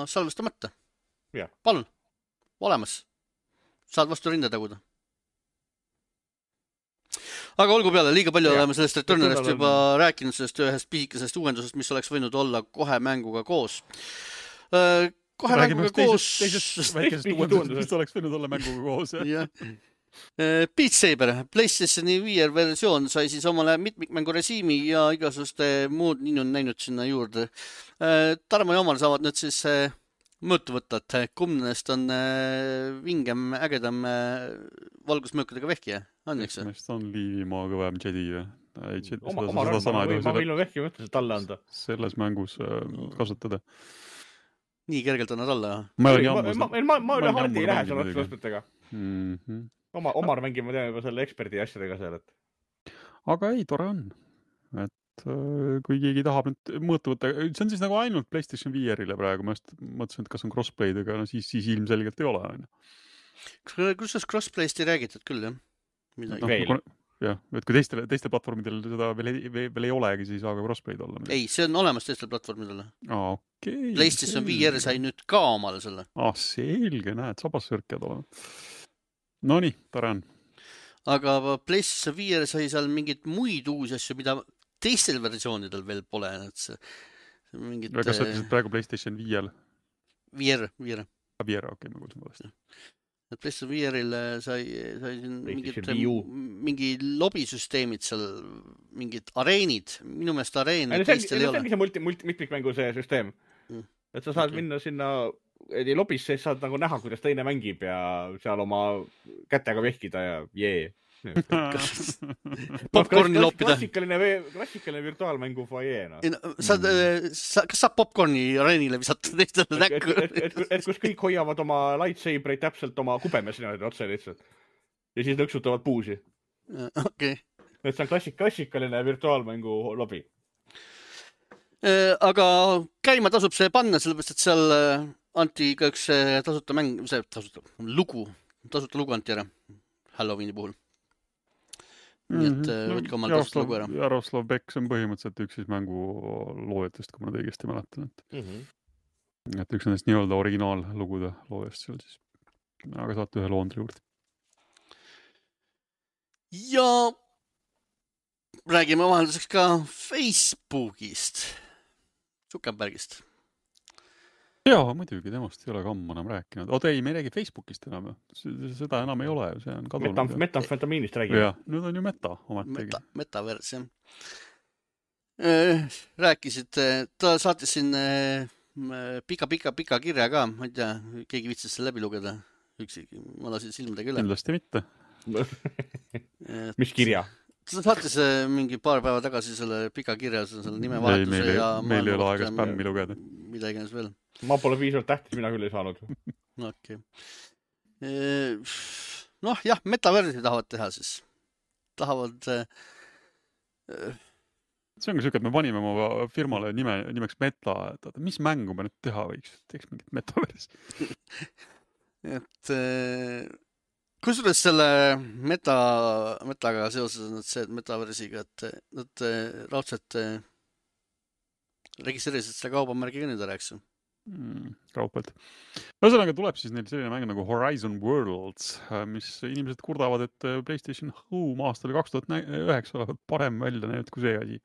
salvestamata. Ja. Palun, olemas. Saad vastu rinda taguda. Aga olgu peale, liiga palju ja. Oleme sellest Returnalist juba on... rääkinud, sellest ühest pisikesest uuendusest, mis oleks võinud olla kohe mänguga koos. Kohe Räägime mänguga koos... Teisest väikesest uuendusest, mis oleks võinud olla mänguga koos. Ja. Beat Saber, PlayStationi V R versioon sai siis omale mitmikmängu režiimi ja igasuguste muud nii on näinud sinna juurde. Tarmo ja Omar saavad nüüd siis mõõtu võtta, et kumnest on vingem, ägedam valgusmöökadega vehkija. On, eks? Mest on Liivimaa kõvem Jedi. Oma, oma rõnna, ma võin vehki mõttes talle anda. Selles mängus kasutada. Nii kergelt on nad alla? Ma üle hardi ei lähe seal otsuspõtega. Oma, Omar mängib, ma tean juba selle eksperdi asjadega seal. Et... Aga ei, tore on. Et kui keegi tahab nüüd mõõtu võtta, see on siis nagu ainult PlayStation V R-ile praegu, ma just mõtlesin, et kas on crossplay'd, aga no siis, siis ilmselgelt ei ole. Kus sellest crossplay'st ei räägitud küll, jah? No, veel. Jah, et kui teistel, teistel platvormidel seda veel ei, veel ei olegi, siis ei saa ka crossplay'd olla. Ei, see on olemas teistel platvormidel. Ah, okei. PlayStation V R sai nüüd ka omale selle. Ah, selge, näed, sabassõrkjad olema. No nii, tore on. Aga PlayStation V R sai seal mingid muid uusi asju, mida teistel versioonidel veel pole. Et see, mingid, kas sa ütlesid praegu PlayStation V R? V R, V R. V R, okei, ma kuulsin valesti. Et PlayStation V R-il sai, sai mingid, mingi lobisüsteemid seal, mingid areenid, minu meelest areen teistel ei ole. See ongi see multi, multi, mitmikmängu see süsteem. Mm. Et sa saad okay. minna sinna lobis, siis saad nagu näha, kuidas teine mängib ja seal oma kätega vehkida ja jee. Popcorni loppida. Klassikaline, klassikaline virtuaalmängu foajee. No. Saad, sa, kas saab popcorni areenile visata teistele näkku? Et, et, et, et kus kõik hoiavad oma lightsabereid täpselt oma kubemes otse lihtsalt. Ja siis nõksutavad puusi. Okay. Et see on klassik, klassikaline virtuaalmängu lobi. Aga käima tasub see panna, sellepärast, et seal anti ka üks tasuta mäng, see tasuta lugu, tasuta lugu anti ära Halloweeni puhul. Nii et mm-hmm. võtke omal tasuta lugu ära. Jaroslav Bekk on põhimõtteliselt üks siis mängu loojatest, kui ma nad õigesti mäletan. Et, mm-hmm. et üks nendest nii-öelda originaallugude loojast seal siis. Aga saate ühe loondri juurde. Ja räägime vahelduseks ka Facebookist. Zuckerbergist. Jaa, muidugi, temast ei ole ka ammu enam rääkinud. Oota, ei, me ei räägi Facebookist enam. Seda enam ei ole. See on kadunud. Metam, metamfetamiinist räägime. Jah, nüüd on ju meta ometegi. Meta, metavers, jah. Rääkisid, ta saatis siin pika, pika, pika kirja ka. Ma ei tea, keegi vitsis selle läbi lugeda. Üksi, ma lasin silmadega üle. Kindlasti mitte. Mis kirja? Ta saatis mingi paar päeva tagasi selle pika kirja, selle nimevahetuse meil, ja... Meil ei ole aega spämmi lugeda. Mida iganes veel. Ma pole piisavalt tähtis, mina küll ei saanud. Okei. Noh, jah, metaversi tahavad teha siis. Tahavad... see on ka siuke, et me panime oma firmale nime, nimeks Meta, et oota, mis mängu me nüüd teha võiks? Teeks mingit Metaverse. et kusjuures selle meta, metaga seoses on see, et Metaversiga, et nad raudselt registreerisid selle kaubamärgiga nüüd ära, eks ju. Mm, kaupelt. Ühesõnaga tuleb siis neil selline mäng nagu Horizon Worlds, mis inimesed kurdavad, et PlayStation Home aastal kaks tuhat üheksa olevat parem välja näinud kui see asi.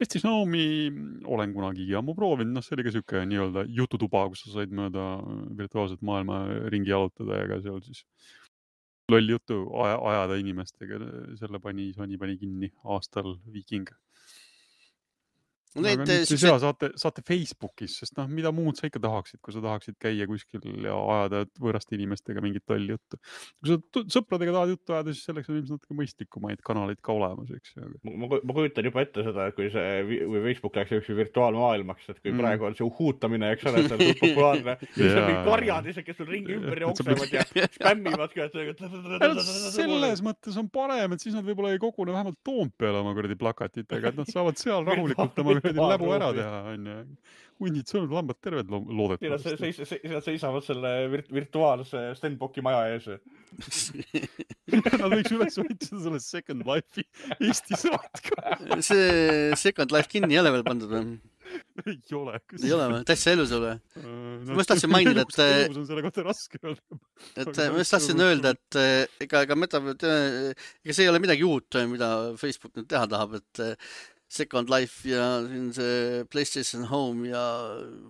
PlayStation Home'i olen kunagi ammu proovinud, noh see oli ka siuke nii-öelda jututuba, kus sa said mööda virtuaalset maailma ringi jalutada ja ka seal siis loll jutu aja, ajada inimestega. Selle pani, Sony pani kinni aastal Viking. Aga nüüd siis hea, saate, saate Facebookis, sest noh, mida muud sa ikka tahaksid, kui sa tahaksid käia kuskil ja ajada võõraste inimestega mingit tolli juttu. Kui sa sõpradega tahad juttu ajada, siis selleks on ilmselt natuke mõistlikumaid kanaleid ka olemas, eks. Ma, ma kujutan juba ette seda, et kui see või Facebook läks üks virtuaalmaailmaks, et kui mm. praegu on see uhuutamine, eks ole, see on populaarne, siis on mingi karjad ise, kes sul ringi ümber jooksevad ja spämmivad ka. Selles mõttes on parem, et siis nad võib-olla ei kogune vähemalt Toompeale oma kuradi plakatitega, et nad saavad seal rahulikult oma läbu ära teha, on ju. Hundid sõnud, lambad terved loodetavasti. Nad seisavad selle virtuaalse Stenbocki maja ees. Nad võiks üles võitseda selle Second Life'i Eesti saatka. See Second Life kinni ei ole veel pandud või? Ei ole. Ei ole või? Täitsa elus ole? Ma just tahtsin mainida, et... Elus on selle kohta raske öelda. Et ma just tahtsin öelda, et ega, ega, meta, ega see ei ole midagi uut, mida Facebook nüüd teha tahab, et Second Life ja siin see PlayStation Home ja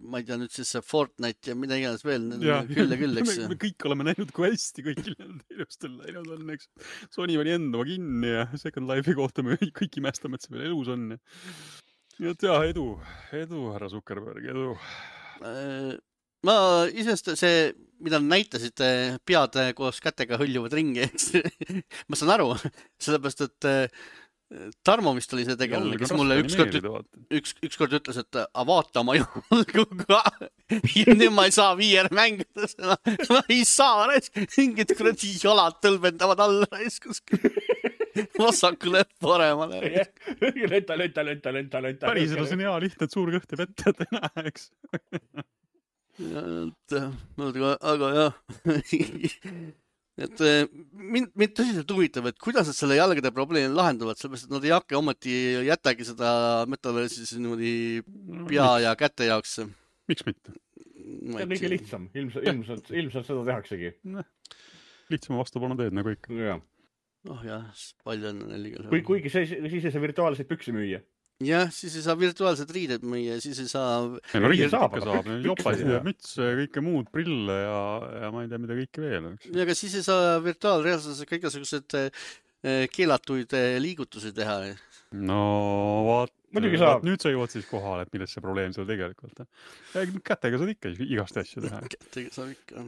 ma ei tea nüüd siis see Fortnite ja mida iganes veel ja, küll ja küll, eks. Me, me kõik oleme näinud, kui hästi kõigil teenustel läinud on, eks. Sony pani endama kinni ja Second Life'i kohta me kõik imestame, et see veel elus on. Ja et jah, edu, edu, härra Zuckerberg, edu. Ma isest see, mida näitasite, pead koos kätega hõljuvad ringi, eks. Ma saan aru, sellepärast, et Tarmo vist oli see tegelane, kes mulle ükskord, üks, ükskord ütles, et a, vaata oma jalguga ja nüüd ma ei saa viier mängida seda. Ma ei saa, mingid kuradi jalad tõlbendavad alla kuskil vasakule paremale. Lenta, lenta, lenta, lenta, lenta. Päriselt on hea lihtne, et suur kõht ja vette, et ei näe, eks. Ja, et, aga jah. Et mind, mind tõsiselt huvitab, et kuidas nad selle jalgade probleemi lahendavad, sellepärast, et nad ei hakka ometi jätagi seda metaversi niimoodi pea ja käte jaoks. Miks mitte? See on kõige lihtsam. Ilmselt, ilmselt, ilmselt seda tehaksegi. Lihtsam vastupanu teed nagu ikka. Ja. Oh jah, palju on neil. Kui, kuigi see, siis ei saa virtuaalseid püksi müüa. Jah, siis ei saa virtuaalsed riided müüa, siis ei saa... No riided ikka saab, jopasid ja mütse, kõike muud, prille ja, ja ma ei tea, mida kõike veel. Ja aga siis ei saa virtuaalreaalsusega kõigesugused keelatuid liigutusi teha. No vaat, vaat nüüd sa jõuad siis kohale, et millest see probleem seal tegelikult. Kätega saad ikka igast asju teha. Kätega saab ikka.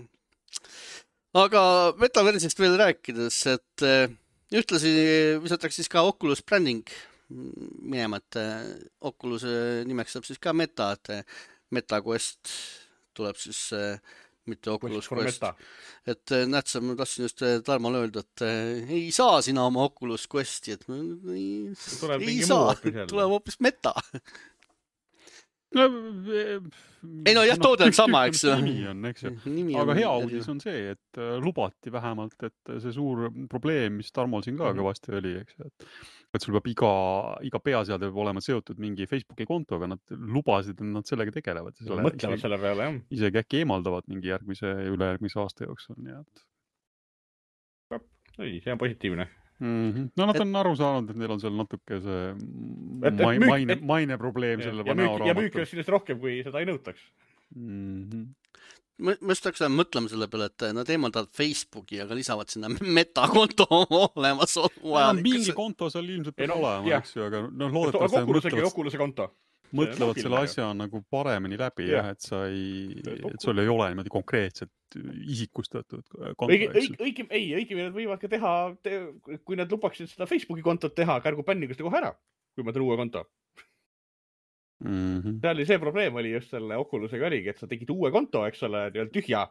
Aga metaversist veel rääkides, et ühtlasi visatakse siis ka Oculus branding minema, et Oculus nimeks saab siis ka Meta, et Meta Quest tuleb siis mitte Oculus Quest. Quest. Et näed sa, ma tahtsin just Tarmale öelda, et ei saa sina oma Oculus Questi, et ei, ei saa, tuleb hoopis Meta. No, ei no jah, toode on sama, eks. Nimi on, eks. Aga hea uudis on see, et lubati vähemalt, et see suur probleem, mis Tarmol siin ka kõvasti oli, eks, et, et sul peab iga, iga peaseade peab olema seotud mingi Facebooki kontoga, nad lubasid, et nad sellega tegelevad. Selle, mõtlevad selle peale, jah. Isegi äkki eemaldavad mingi järgmise ja ülejärgmise aasta jooksul, nii et. Ei, see on positiivne. Mm-hmm. No nad on et, aru saanud, et neil on seal natuke see et, et müük, maine, maine probleem ja, selle ja müük, ja müük on sellest rohkem, kui seda ei nõutaks. Mm-hmm. Ma, ma just hakkasin mõtlema selle peale, et nad eemaldavad Facebooki, aga lisavad sinna metakonto olemas vajalik. Mingi konto seal ilmselt peab no, olema, eks ju, aga no, loodetavasti mõtlevad, Oculus'e konto. mõtlevad selle asja nagu paremini läbi, jah, et sa ei, et sul ei ole niimoodi konkreetselt isikustatud konto. Õige, õige, ei, õige, nad võivad ka teha, te, kui nad lubaksid seda Facebooki kontot teha, kärgu bännigust kohe ära, kui ma teen uue konto. Mm-hmm. See oli see probleem oli just selle Oculusega oligi, et sa tegid uue konto, eks ole, tühja,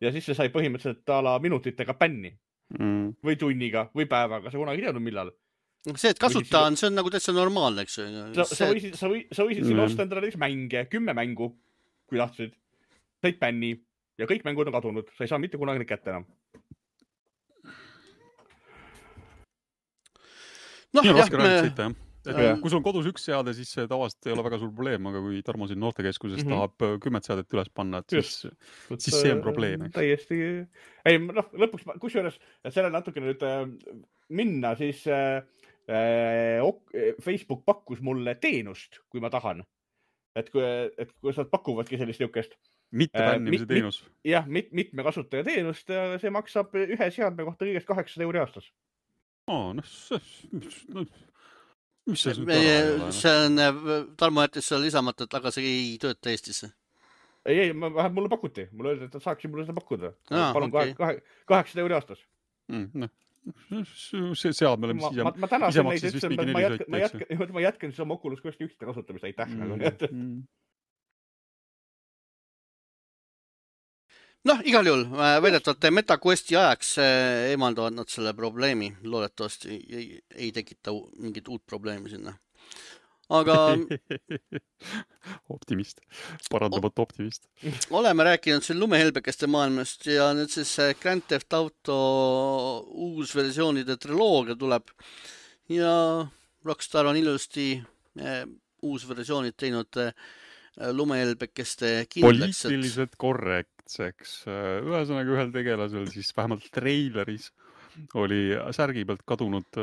ja siis see sai põhimõtteliselt ala minutitega bänni. Mm. Või tunniga, või päevaga, sa kunagi teadnud millal. see, et kasuta on, see on nagu täitsa normaalne, eks. Sa, sa võisid, sa võisid, sa võisid siin mm. osta endale mänge, kümme mängu, kui tahtsid. Said bänni ja kõik mängud on kadunud. Sa ei saa mitte kunagi neid kätte enam. No, nii on raske me... sõita, jah. Et ja. Kui sul on kodus üks seade, siis see tavaliselt ei ole väga suur probleem, aga kui Tarmo siin noortekeskuses mm -hmm. tahab kümmet seadet üles panna, et siis, siis see on probleem. Eks. Täiesti. Ei, noh, lõpuks, kus juures, et selle natuke nüüd äh, minna, siis äh, Facebook pakkus mulle teenust, kui ma tahan. Et kui, et kui nad pakuvadki sellist niukest. Mitte bännimise äh, teenus. Mit, jah, mit, mitme kasutaja teenust ja see maksab ühe seadme kohta kõigest kaheksasada euri aastas. Aa, noh, see... No. Mis see, see, see on, Tarmo jättis seal lisamata, et aga see ei tööta Eestisse. Ei, ei, vähemalt mulle pakuti. Mulle öeldi, et saaksin mulle seda pakkuda. Ah, palun okay. kaheksasada euri aastas. Mm, no. See seadme oleme ise, ma, ma ise maksis vist mingi neli sõita. Ma jätkan, ma jätkan siis oma Oculus Quest ühte kasutamist. Aitäh. Mm, mm. Noh, igal juhul väidetavalt MetaQuesti ajaks eemaldavad nad selle probleemi. Loodetavasti ei, ei tekita mingit uut probleemi sinna. Aga... optimist. Parandamat optimist. Oleme rääkinud siin lumehelbekeste maailmast ja nüüd siis Grand Theft Auto uus versioonide triloogia tuleb. Ja Rockstar on ilusti uus versioonid teinud lumehelbekeste kindlaks. Poliitiliselt korrekt. Seks. Ühesõnaga ühel tegelasel siis vähemalt treileris oli särgi pealt kadunud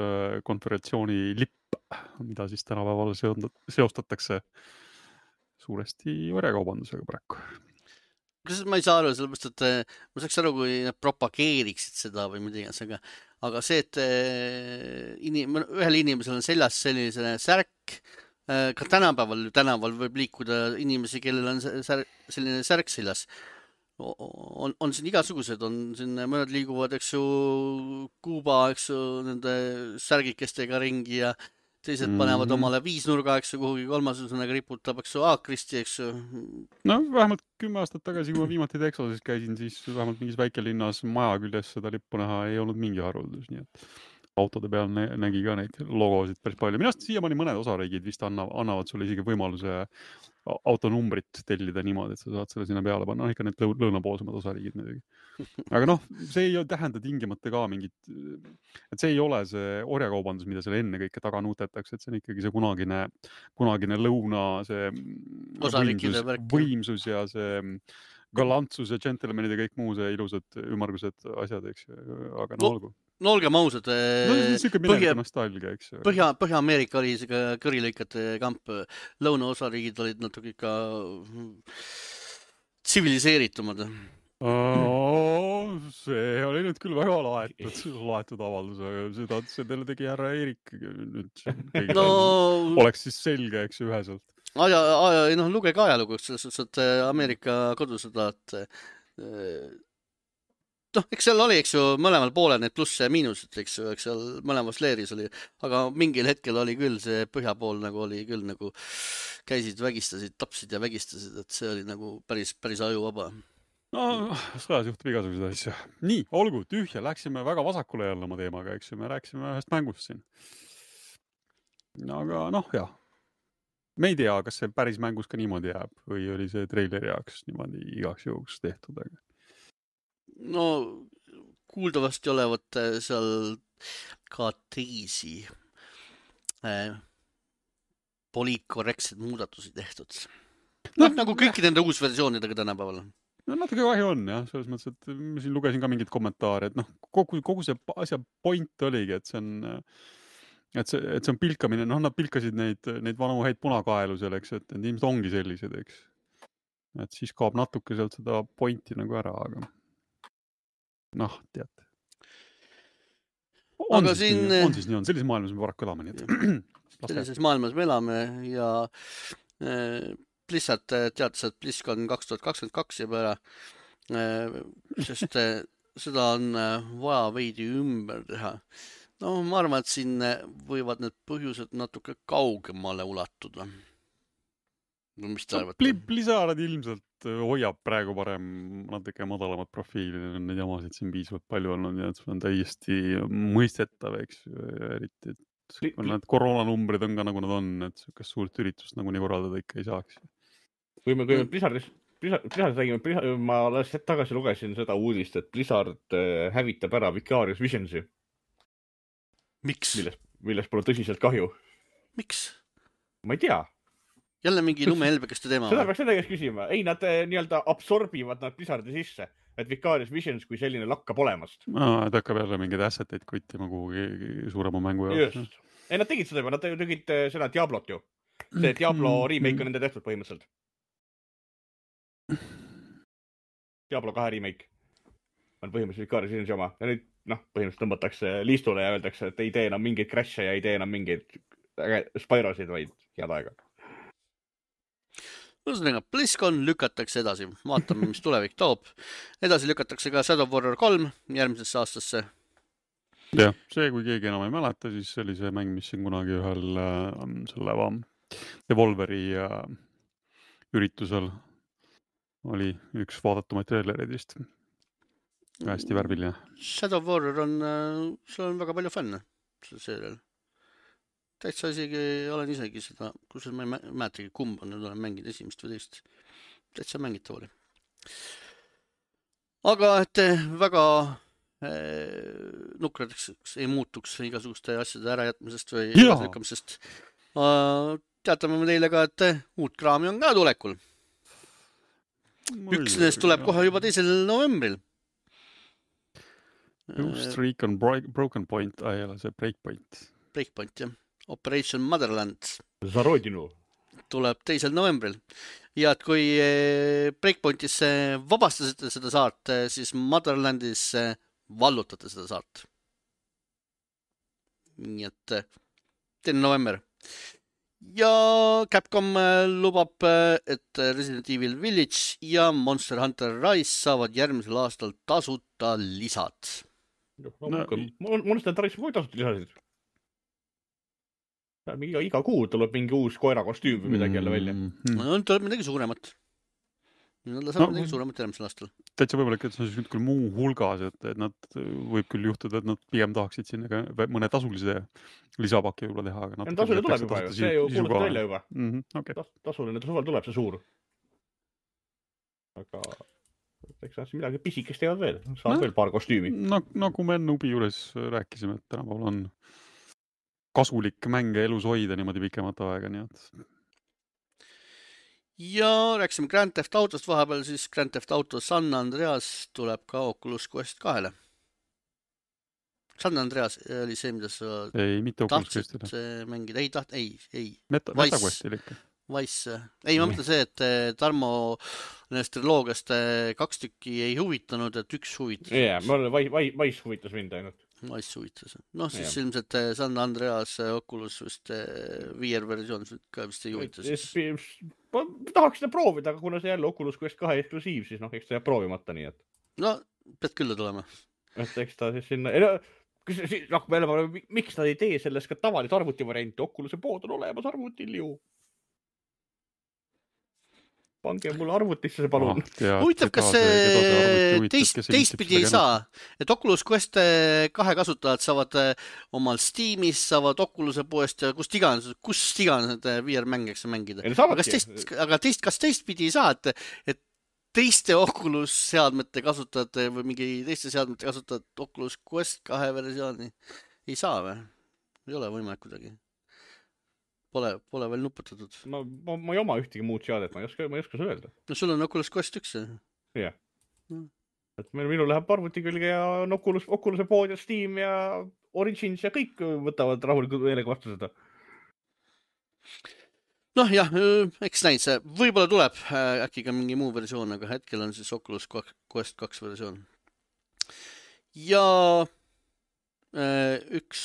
konföderatsiooni lipp, mida siis tänapäeval seostatakse suuresti orjakaubandusega praegu. Kas ma ei saa aru, sellepärast, et ma saaks aru, kui nad propageeriksid seda või midagi, aga, aga see, et inim, ühel inimesel on seljas selline särk, ka tänapäeval, tänaval võib liikuda inimesi, kellel on sär, selline särk seljas. On, on siin igasugused, on siin mõned liiguvad, eks ju, Kuuba, eks ju, nende särgikestega ringi ja teised mm-hmm. panevad omale viisnurga, eks ju, kuhugi kolmasusõnaga riputab, eks ju, Aakristi, eks ju. No vähemalt kümme aastat tagasi, kui ma viimati Texases käisin, siis vähemalt mingis väikelinnas maja küljes seda lippu näha ei olnud mingi haruldus, nii et autode peal nägi ka neid logosid päris palju. Minast siiamaani mõned osariigid vist annavad, annavad sulle isegi võimaluse autonumbrit tellida niimoodi, et sa saad selle sinna peale panna. No ikka need lõunapoolsemad osariigid muidugi. Aga noh, see ei tähenda tingimata ka mingit, et see ei ole see orjakaubandus, mida seal enne kõike taga nuutetakse, et see on ikkagi see kunagine, kunagine lõuna, see võimsus, võimsus ja see galantsus ja džentelmenid ja kõik muu see ilusad ümmargused asjad, eks. Aga no olgu. No olgem ausad, no, Põhja, nostalgia, eks. Põhja, Põhja-Ameerika oli isegi kõrilõikate kamp, lõunaosariigid olid natuke ikka tsiviliseeritumad. Oh, see oli nüüd küll väga laetud, laetud avaldus, aga seda, seda tegi härra Eerik nüüd no... oleks siis selge, eks üheselt. Aja, aja, noh, lugege ajalugu, selles suhtes, et Ameerika kodusõda, et noh, eks seal oli, eks ju, mõlemal poole need plusse ja miinused, eks ju, eks seal mõlemas leeris oli, aga mingil hetkel oli küll see põhja pool nagu oli küll nagu käisid, vägistasid, tapsid ja vägistasid, et see oli nagu päris, päris ajuvaba. No, sõjas juhtub igasuguseid asju. Nii, olgu, tühja, läksime väga vasakule jälle oma teemaga, eks ju, me rääksime ühest mängust siin. Aga noh, jah. Me ei tea, kas see päris mängus ka niimoodi jääb või oli see treileri jaoks niimoodi igaks juhuks tehtud, aga no kuuldavasti olevat seal ka teisi äh, poliitkorrektsed muudatusi tehtud. No, no nagu kõiki nende uusversioonidega tänapäeval. No natuke kahju on, jah, selles mõttes, et ma siin lugesin ka mingid kommentaare, et noh, kogu, kogu see asja point oligi, et see on, et see, et see on pilkamine, noh, nad pilkasid neid, neid vanu häid punakaelu seal, eks, et need ilmselt ongi sellised, eks. Et siis kaob natuke sealt seda pointi nagu ära, aga noh, teate. On, aga siis siin... nii, on siis nii on, sellises maailmas me paraku elame, nii et sellises maailmas me elame ja äh, Blizzard teatas, et BlizzCon kaks tuhat kakskümmend kaks jääb ära, äh, sest äh, seda on äh, vaja veidi ümber teha. No ma arvan, et siin võivad need põhjused natuke kaugemale ulatuda. Mis te arvate? Blizzard ilmselt hoiab praegu parem natuke madalamat profiili, neid jamasid siin piisavalt palju olnud ja see on täiesti mõistetav, eks, eriti kui need koroonanumbrid on ka nagu nad on, et kas suurt üritust nagu nii korraldada ikka ei saaks. Kui me, kui me Blizzardis, Blizzard, Blizzard räägime, Blizzard, ma alles hetk tagasi lugesin seda uudist, et Blizzard hävitab ära Vicarious Visionsi. Miks? Milles, milles pole tõsiselt kahju. Miks? Ma ei tea. Jälle mingi lumehelbekeste teema. Seda peaks seda käest küsima. Ei, nad nii-öelda absorbivad nad Blizzardi sisse, et Vicarious Visions kui selline lakkab olemast. Aa, et hakkab jälle mingeid asseteid kuitima kuhugi suurema mängu jaoks. Just. Ei, nad tegid seda juba, nad tegid seda Diablot ju. See Diablo remake on nende tehtud põhimõtteliselt. Diablo kahe remake on põhimõtteliselt Vicarious Visions oma. Ja nüüd, noh, põhimõtteliselt tõmbatakse liistule ja öeldakse, et ei tee enam mingeid crash'e ja ei tee enam mingeid Spyrosid, vaid head aega. Ühesõnaga, BlizzCon lükatakse edasi. Vaatame, mis tulevik toob. Edasi lükatakse ka Shadow Warrior kolm järgmisesse aastasse. Jah, see, kui keegi enam ei mäleta, siis see oli see mäng, mis siin kunagi ühel äh, selle va, Devolveri äh, üritusel oli üks vaadatumaid traileridist. Hästi värviline. Shadow Warrior on, äh, seal on väga palju fänne sellel. Täitsa isegi, olen isegi seda, kus ma ei mäletagi, kumb on, nüüd olen mänginud esimest või teist. Täitsa mängitav oli. Aga et väga eh, nukradeks ei muutuks igasuguste asjade ärajätmisest või lükkamisest. Teatame me teile ka, et uut kraami on ka tulekul. Üks neist tuleb kohe juba teisel novembril. Ghost Recon Broken Point, ei ole see Breakpoint. Breakpoint, jah. Operation Motherland Zarodinu tuleb teisel novembril. Ja et kui Breakpointis vabastasite seda saart, siis Motherlandis vallutate seda saart. Nii et teine november. Ja Capcom lubab, et Resident Evil Village ja Monster Hunter Rise saavad järgmisel aastal tasuta lisad. No, Monster Hunter Rise kui tasuta lisasid? Iga, iga kuu tuleb mingi uus koera kostüüm või midagi jälle välja. No, tuleb midagi suuremat. Nad saab no, midagi suuremat järgmisel aastal. Täitsa võimalik, et see on siis küll muu hulgas, et, et nad võib küll juhtuda, et nad pigem tahaksid sinna ka mõne tasulise lisapaki võib-olla teha. Aga ja tasuline tuleb juba ju, see ju kuulutab välja juba. Mm-hmm, okay. Tasuline suvel tuleb see suur. Aga eks nad midagi pisikest teevad veel. Saab no, veel paar kostüümi. No, nagu me Nubi juures rääkisime, et tänapäeval on kasulik mänge elus hoida niimoodi pikemat aega, nii et. Ja rääksime Grand Theft Autost vahepeal, siis Grand Theft Auto San Andreas tuleb ka Oculus Quest kahele. San Andreas oli see, mida sa ei, mitte tahtsid mängida. Ei, taht, ei, ei. Meta, MetaQuestil ikka. Vice. Ei, ma mõtlen see, et Tarmo nendest triloogiast kaks tükki ei huvitanud, et üks huvitas. Jaa, yeah, Vice huvitas mind ainult. Vice huvitas. Noh, siis yeah. ilmselt San Andreas Oculus vist V R versioon ka vist ei huvitas. Ma tahaks seda proovida, aga kuna see jälle Oculus Quest kahe eksklusiiv, siis noh, eks ta jääb proovimata nii, et. No, pead küll tulema. Et eks ta siis sinna... noh, miks ta ei tee sellest ka tavalist arvuti varianti? Oculuse pood on olemas arvutil ju. Pange mulle arvutisse see palun. Ah, huvitav, kas see teist, teistpidi ei saa, et Oculus Quest kahe kasutajad saavad omal Steamis, saavad Oculus'e poest ja kust iganes, kust iganes need V R-mängeks mängida. Aga, teist, aga teist, kas teistpidi ei saa, et, et teiste Oculus seadmete kasutajate või mingi teiste seadmete kasutajad Oculus Quest kahe versiooni ei saa või? Ei ole võimalik kuidagi. Pole, pole veel nuputatud. Ma, ma, ma ei oma ühtegi muud seadet, ma ei oska, ma ei oska see öelda. No sul on Oculus Quest üks. Jah. Yeah. Mm. Et minu läheb arvuti külge ja on Oculus, Oculus'e pood ja Steam ja Origins ja kõik võtavad rahulikult meelega vastu seda. Noh jah, eks näid see. Võib-olla tuleb äkki ka mingi muu versioon, aga hetkel on siis Oculus Quest kaks versioon. Ja... üks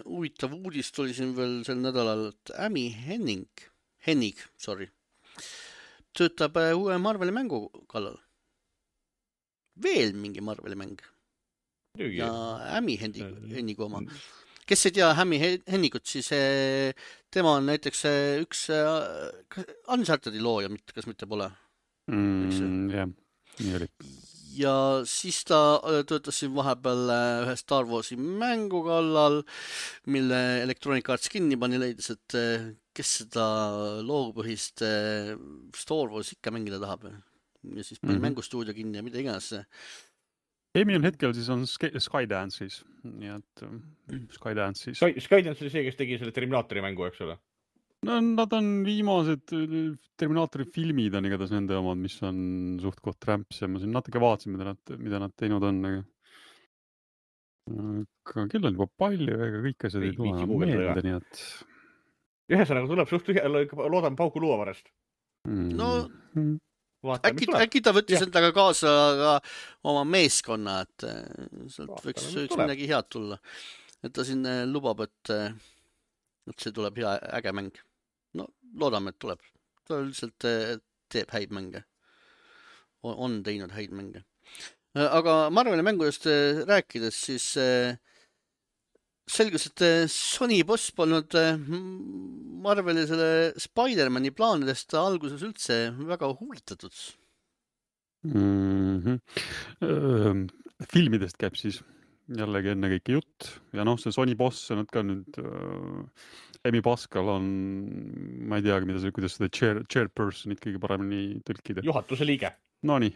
huvitav uudis tuli siin veel sel nädalal, et Amy Henning, Hennig, sorry, töötab uue Marveli mängu kallal. Veel mingi Marveli mäng. Ja Amy Hennig oma. Kes ei tea Amy Hennigut, siis tema on näiteks üks Uncharted'i looja, kas mitte pole? Mm, jah, nii oli. ja siis ta töötas siin vahepeal ühe Star Warsi mängu kallal, mille Electronic Arts kinni pani, leidis, et kes seda loogopõhist Star Wars ikka mängida tahab. Ja siis pani mm-hmm. mängustuudio kinni ja mida iganes. Amy on hetkel siis on Skydance'is, nii et Skydance'is. Sky, Skydance oli see, kes tegi selle Terminaatori mängu, eks ole? No nad on viimased Terminaatori filmid on igatahes nende omad, mis on suht koht trämps ja ma siin natuke vaatasin, mida nad, mida nad teinud on. Aga küll on juba palju, ega kõik asjad ei tule meelde, nii et... Ühesõnaga tuleb suht ühe, loodan pauku luuavarast. No Vaata, äkki, äkki ta võttis ja. endaga kaasa ka oma meeskonna, et sealt Vaata, võiks, võiks midagi head tulla. Et ta siin lubab, et, et see tuleb hea äge mäng. No loodame, et tuleb. Ta üldiselt teeb häid mänge. On, on teinud häid mänge. Aga Marveli mängudest rääkides, siis selgus, et Sony boss polnud Marveli selle Spider-Mani plaanidest alguses üldse väga huvitatud. Mm-hmm. Filmidest käib siis jällegi enne kõike jutt ja noh, see Sony boss, nad ka nüüd Amy Pascal on, ma ei teagi, mida see, kuidas seda chair, chairpersonit kõige paremini tõlkida. Juhatuse liige. No nii.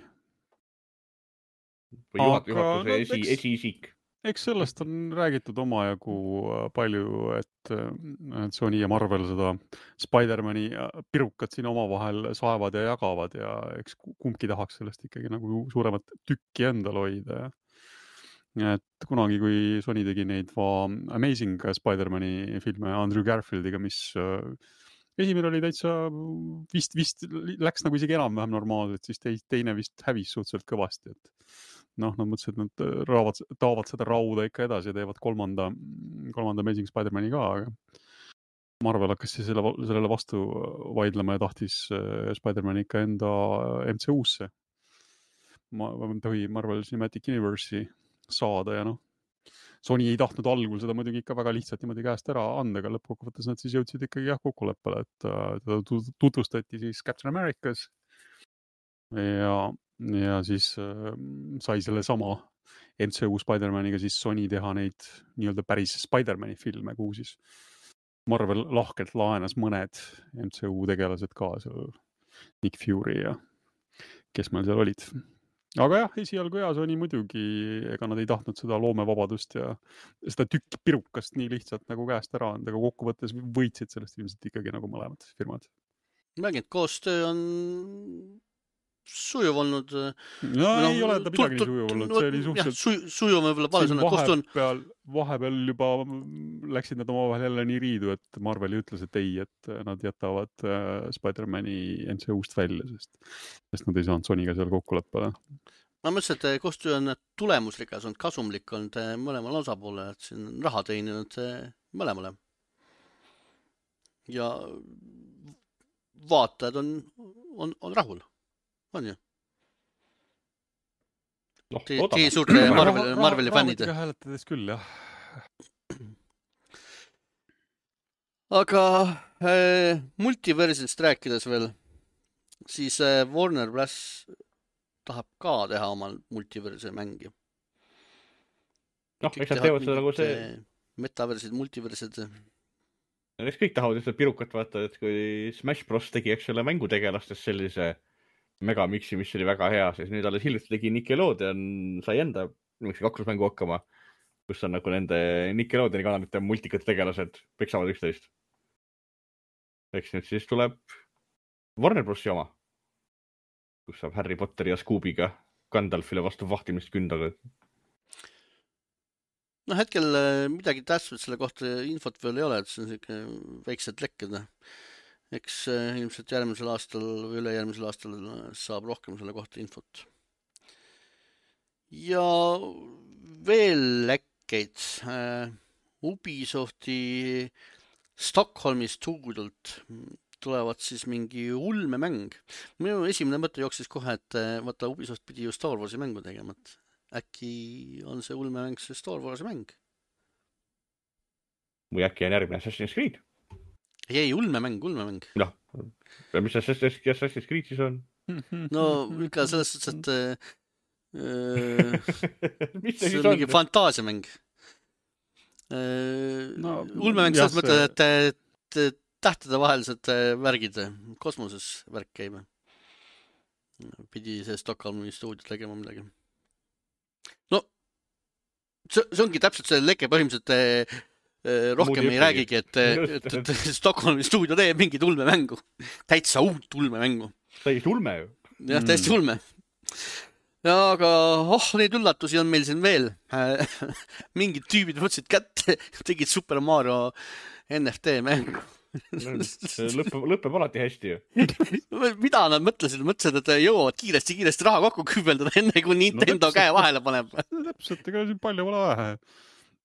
Või juhat, Aga, juhatuse no, esi, esiisik. Eks sellest on räägitud omajagu palju, et, et Sony ja Marvel seda Spider-Mani pirukat siin omavahel saevad ja jagavad ja eks kumbki tahaks sellest ikkagi nagu suuremat tükki endal hoida. Et kunagi, kui Sony tegi neid Amazing Spider-Mani filme Andrew Garfieldiga, mis esimene oli täitsa vist, vist läks nagu isegi enam-vähem normaalselt, siis teine vist hävis suhteliselt kõvasti, et noh, nad mõtlesid, et nad raavad, taavad seda rauda ikka edasi ja teevad kolmanda, kolmanda Amazing Spider-Mani ka, aga Marvel hakkas siis selle, sellele vastu vaidlema ja tahtis Spider-Mani ikka enda M C U-sse. Ma, ma tohi Marvel Cinematic Universe'i saada ja noh, Sony ei tahtnud algul seda muidugi ikka väga lihtsalt niimoodi käest ära anda, aga lõppkokkuvõttes nad siis jõudsid ikkagi jah kokkuleppele, et teda tutvustati siis Captain Americas ja ja siis äh, sai selle sama M C U Spider-Maniga siis Sony teha neid nii-öelda päris Spider-Mani filme, kuhu siis Marvel lahkelt laenas mõned M C U tegelased ka, seal Nick Fury ja kes meil seal olid. Aga jah, esialgu ja Sony muidugi, ega nad ei tahtnud seda loomevabadust ja seda tükki pirukast nii lihtsalt nagu käest ära anda, aga kokkuvõttes võitsid sellest ilmselt ikkagi nagu mõlemad firmad. Mängid, koostöö on sujuv olnud. No, no ei ole ta midagi nii sujuv olnud, see oli suhteliselt... Sujuv, sujuv on võib-olla palju sõna, koostöö on... Vahepeal, vahepeal juba läksid nad omavahel jälle nii riidu, et Marvel ütles, et ei, et nad jätavad Spider-Mani M C U-st välja, sest, sest nad ei saanud Sonyga seal kokkuleppele. Ma mõtlesin, et koostöö on tulemuslikas, on kasumlik olnud mõlemal osapoole, et siin on raha teeninud mõlemale. Ja vaatajad on, on, on rahul. On ju? No, Teie suurte Marveli, Marveli fännid. Raamatuga hääletades küll, jah. Aga äh, multiversist rääkides veel, siis äh, Warner Bros. Tahab ka teha oma multiverse mängi. Noh, eks nad teevad seda nagu see... Metaversid, multiversid. Eks kõik tahavad seda pirukat vaata, et kui Smash Bros. Tegi, eks ole, mängutegelastest sellise megamiksi, mis oli väga hea, siis nüüd alles hiljuti tegi Nickelodeon, sai enda kaklusmängu hakkama, kus on nagu nende Nickelodeoni kanalite multikad tegelased peksavad üksteist. Eks nüüd siis tuleb Warner Brosi oma, kus saab Harry Potteri ja Scoobiga Gandalfile vastu vahtimist kündaga. No hetkel midagi tähtsat selle kohta infot veel ei ole, et see on selline väiksed lekked. Eks ilmselt järgmisel aastal või üle järgmisel aastal saab rohkem selle kohta infot. Ja veel lekkeid. Ubisofti Stockholmi stuudiult tulevad siis mingi ulmemäng. Minu esimene mõte jooksis kohe, et vaata Ubisoft pidi ju Star Warsi mängu tegema. Äkki on see ulmemäng see Star Warsi mäng? Või äkki on järgmine Assassin's Creed? Ei, ei, ulmemäng, ulmemäng. Noh, mis Assassin's Creed siis on? No, ikka selles suhtes, et Mis see see siis on on? mingi fantaasiamäng. No, ulmemäng jah, selles mõttes, et, et, et tähtede vahelised värgid kosmoses värk käima. Pidi see Stockholmi stuudio tegema midagi. No, see, see ongi täpselt see leke põhimõtteliselt eh, rohkem Muud ei räägigi, et, et, et Stockholmi stuudio teeb mingit ulmemängu. Täitsa uut ulmemängu. Täiesti ulme ju. Jah, täiesti ulme. Ja, aga oh, neid üllatusi on meil siin veel. Mingid tüübid võtsid kätte, tegid Super Mario N F T mängu. lõpeb, lõpeb alati hästi ju. Mida nad mõtlesid? Mõtlesid, et jõuavad kiiresti-kiiresti raha kokku kübeldada enne, kui Nintendo no, käe vahele paneb. Täpselt, ega siin palju pole vähe.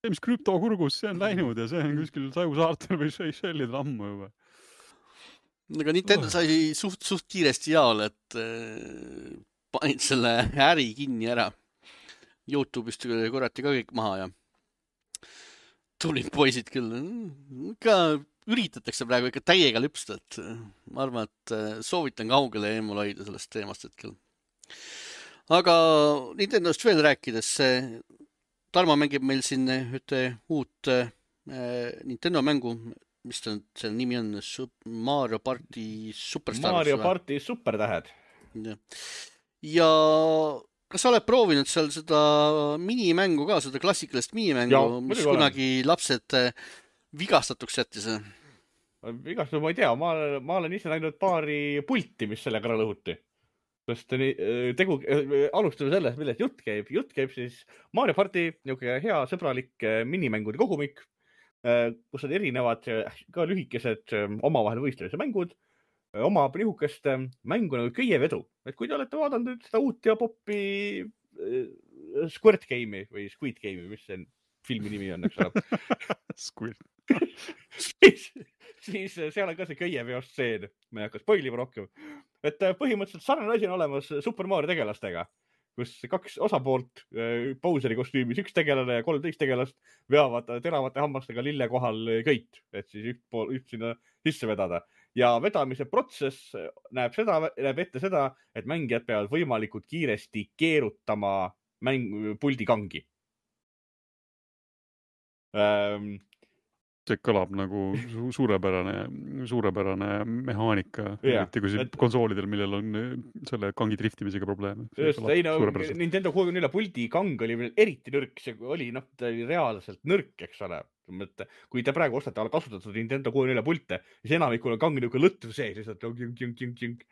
See, mis krüptokurgus, see on läinud ja see on kuskil Sajusaartel või Seychellidel ammu juba. Aga Nintendo sai suht, suht kiiresti jaole, et äh, panid selle äri kinni ära. YouTube'ist korrati ka kõik maha ja tulid poisid küll. Ikka üritatakse praegu ikka täiega lüpsta, et ma arvan, et soovitan kaugele eemal hoida sellest teemast hetkel. Aga Nintendost veel rääkides, Tarmo mängib meil siin ühte uut äh, Nintendo mängu, mis ta, selle nimi on Mario Party Superstars. Mario Party Supertähed. Ja, ja kas sa oled proovinud seal seda minimängu ka, seda klassikalist minimängu, ja, mis kunagi olen. Lapsed vigastatuks jättis? Vigastatud, ma ei tea, ma, ma olen ise näinud paari pulti, mis sellega ära lõhuti. Sest tegu, alustame sellest, millest jutt käib. Jutt käib siis Mario Party, niisugune hea sõbralik minimängude kogumik, kus on erinevad ka lühikesed omavahel võistlemise mängud, oma nihukest mängu nagu köievedu. Et kui te olete vaadanud seda uut ja poppi Squirt Game'i või Squid Game'i, mis see filmi nimi on, eks ole. Squirt. siis, siis seal on ka see köieveo stseen. Ma ei hakka spoilima rohkem. Et põhimõtteliselt sarnane asi on olemas Super Mario tegelastega, kus kaks osapoolt Bowseri kostüümis, üks tegelane ja kolmteist tegelast veavad teravate hammastega lille kohal köit, et siis üht, pool, üht sinna sisse vedada. Ja vedamise protsess näeb, seda, näeb ette seda, et mängijad peavad võimalikult kiiresti keerutama mäng, puldi kangi. Ähm, see kõlab nagu suurepärane, suurepärane mehaanika, eriti kui et... konsoolidel, millel on selle kangi driftimisega probleeme. Just, ei no, Nintendo kuuekümne nelja puldi kang oli eriti nõrk, see oli, noh, ta oli reaalselt nõrk, eks ole. Kui te praegu ostate ala kasutatud Nintendo kuuekümne nelja pulte, siis enamikul on kang niisugune lõtv sees, siis et jing, jing, jing, jing.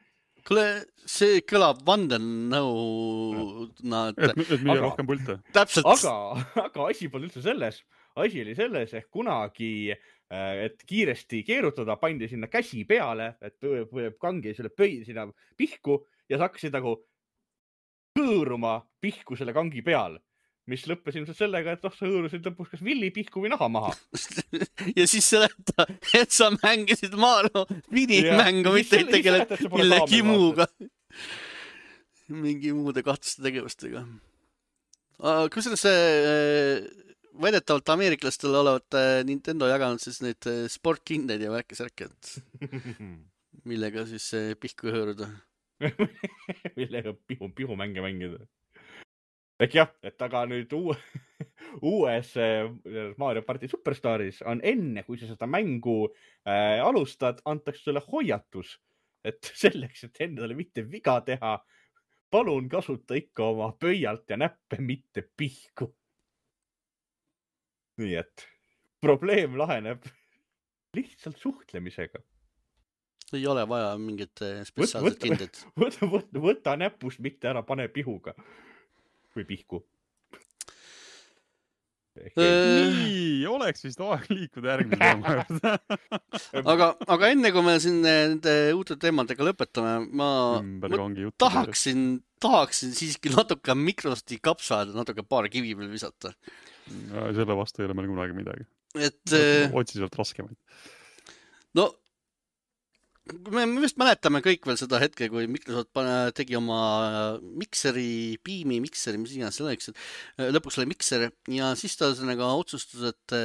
Kuule, see kõlab vandenõu... Nad... Et, et mille aga, rohkem pulte. Täpselt. Aga, aga asi pole üldse selles. Asi oli selles, ehk kunagi, et kiiresti keerutada, pandi sinna käsi peale, et kangi selle pöi sinna pihku ja sa hakkasid nagu hõõruma pihku selle kangi peal, mis lõppes ilmselt sellega, et oh, sa hõõrusid lõpuks kas villi pihku või naha maha. Ja siis seleta, et sa mängisid Mario minimängu, mitte ei tegeled millegi muuga. Mingi muude kahtlaste tegevustega. Kusjuures see... Väidetavalt ameeriklastel olevat Nintendo jaganud siis neid sportkindeid ja värkisärke, millega siis pihku hõõruda. Millega pihu, pihu mänge mängida. Ehk jah, et aga nüüd uue, uues Mario Party Superstaris on enne, kui sa seda mängu äh, alustad, antakse sulle hoiatus, et selleks, et endale mitte viga teha, palun kasuta ikka oma pöialt ja näppe mitte pihku. Nii et probleem laheneb lihtsalt suhtlemisega. Ei ole vaja mingit spetsiaalset kindet. Võta, võta, võta näpust, mitte ära pane pihuga või pihku. Nii, oleks vist aeg liikuda järgmine teema juurde. aga, aga enne kui me siin nende uute teemadega lõpetame, ma, ma tahaksin, tahaksin siiski natuke Microsofti kapsaada, natuke paar kivi veel visata. Selle vastu ei ole meil kunagi midagi. Et, otsi sealt raskemaid. No, me vist mäletame kõik veel seda hetke, kui Microsoft tegi oma mikseri, Beami mikseri, mis iganes selleks, et lõpuks oli mikser ja siis ta nagu otsustas, et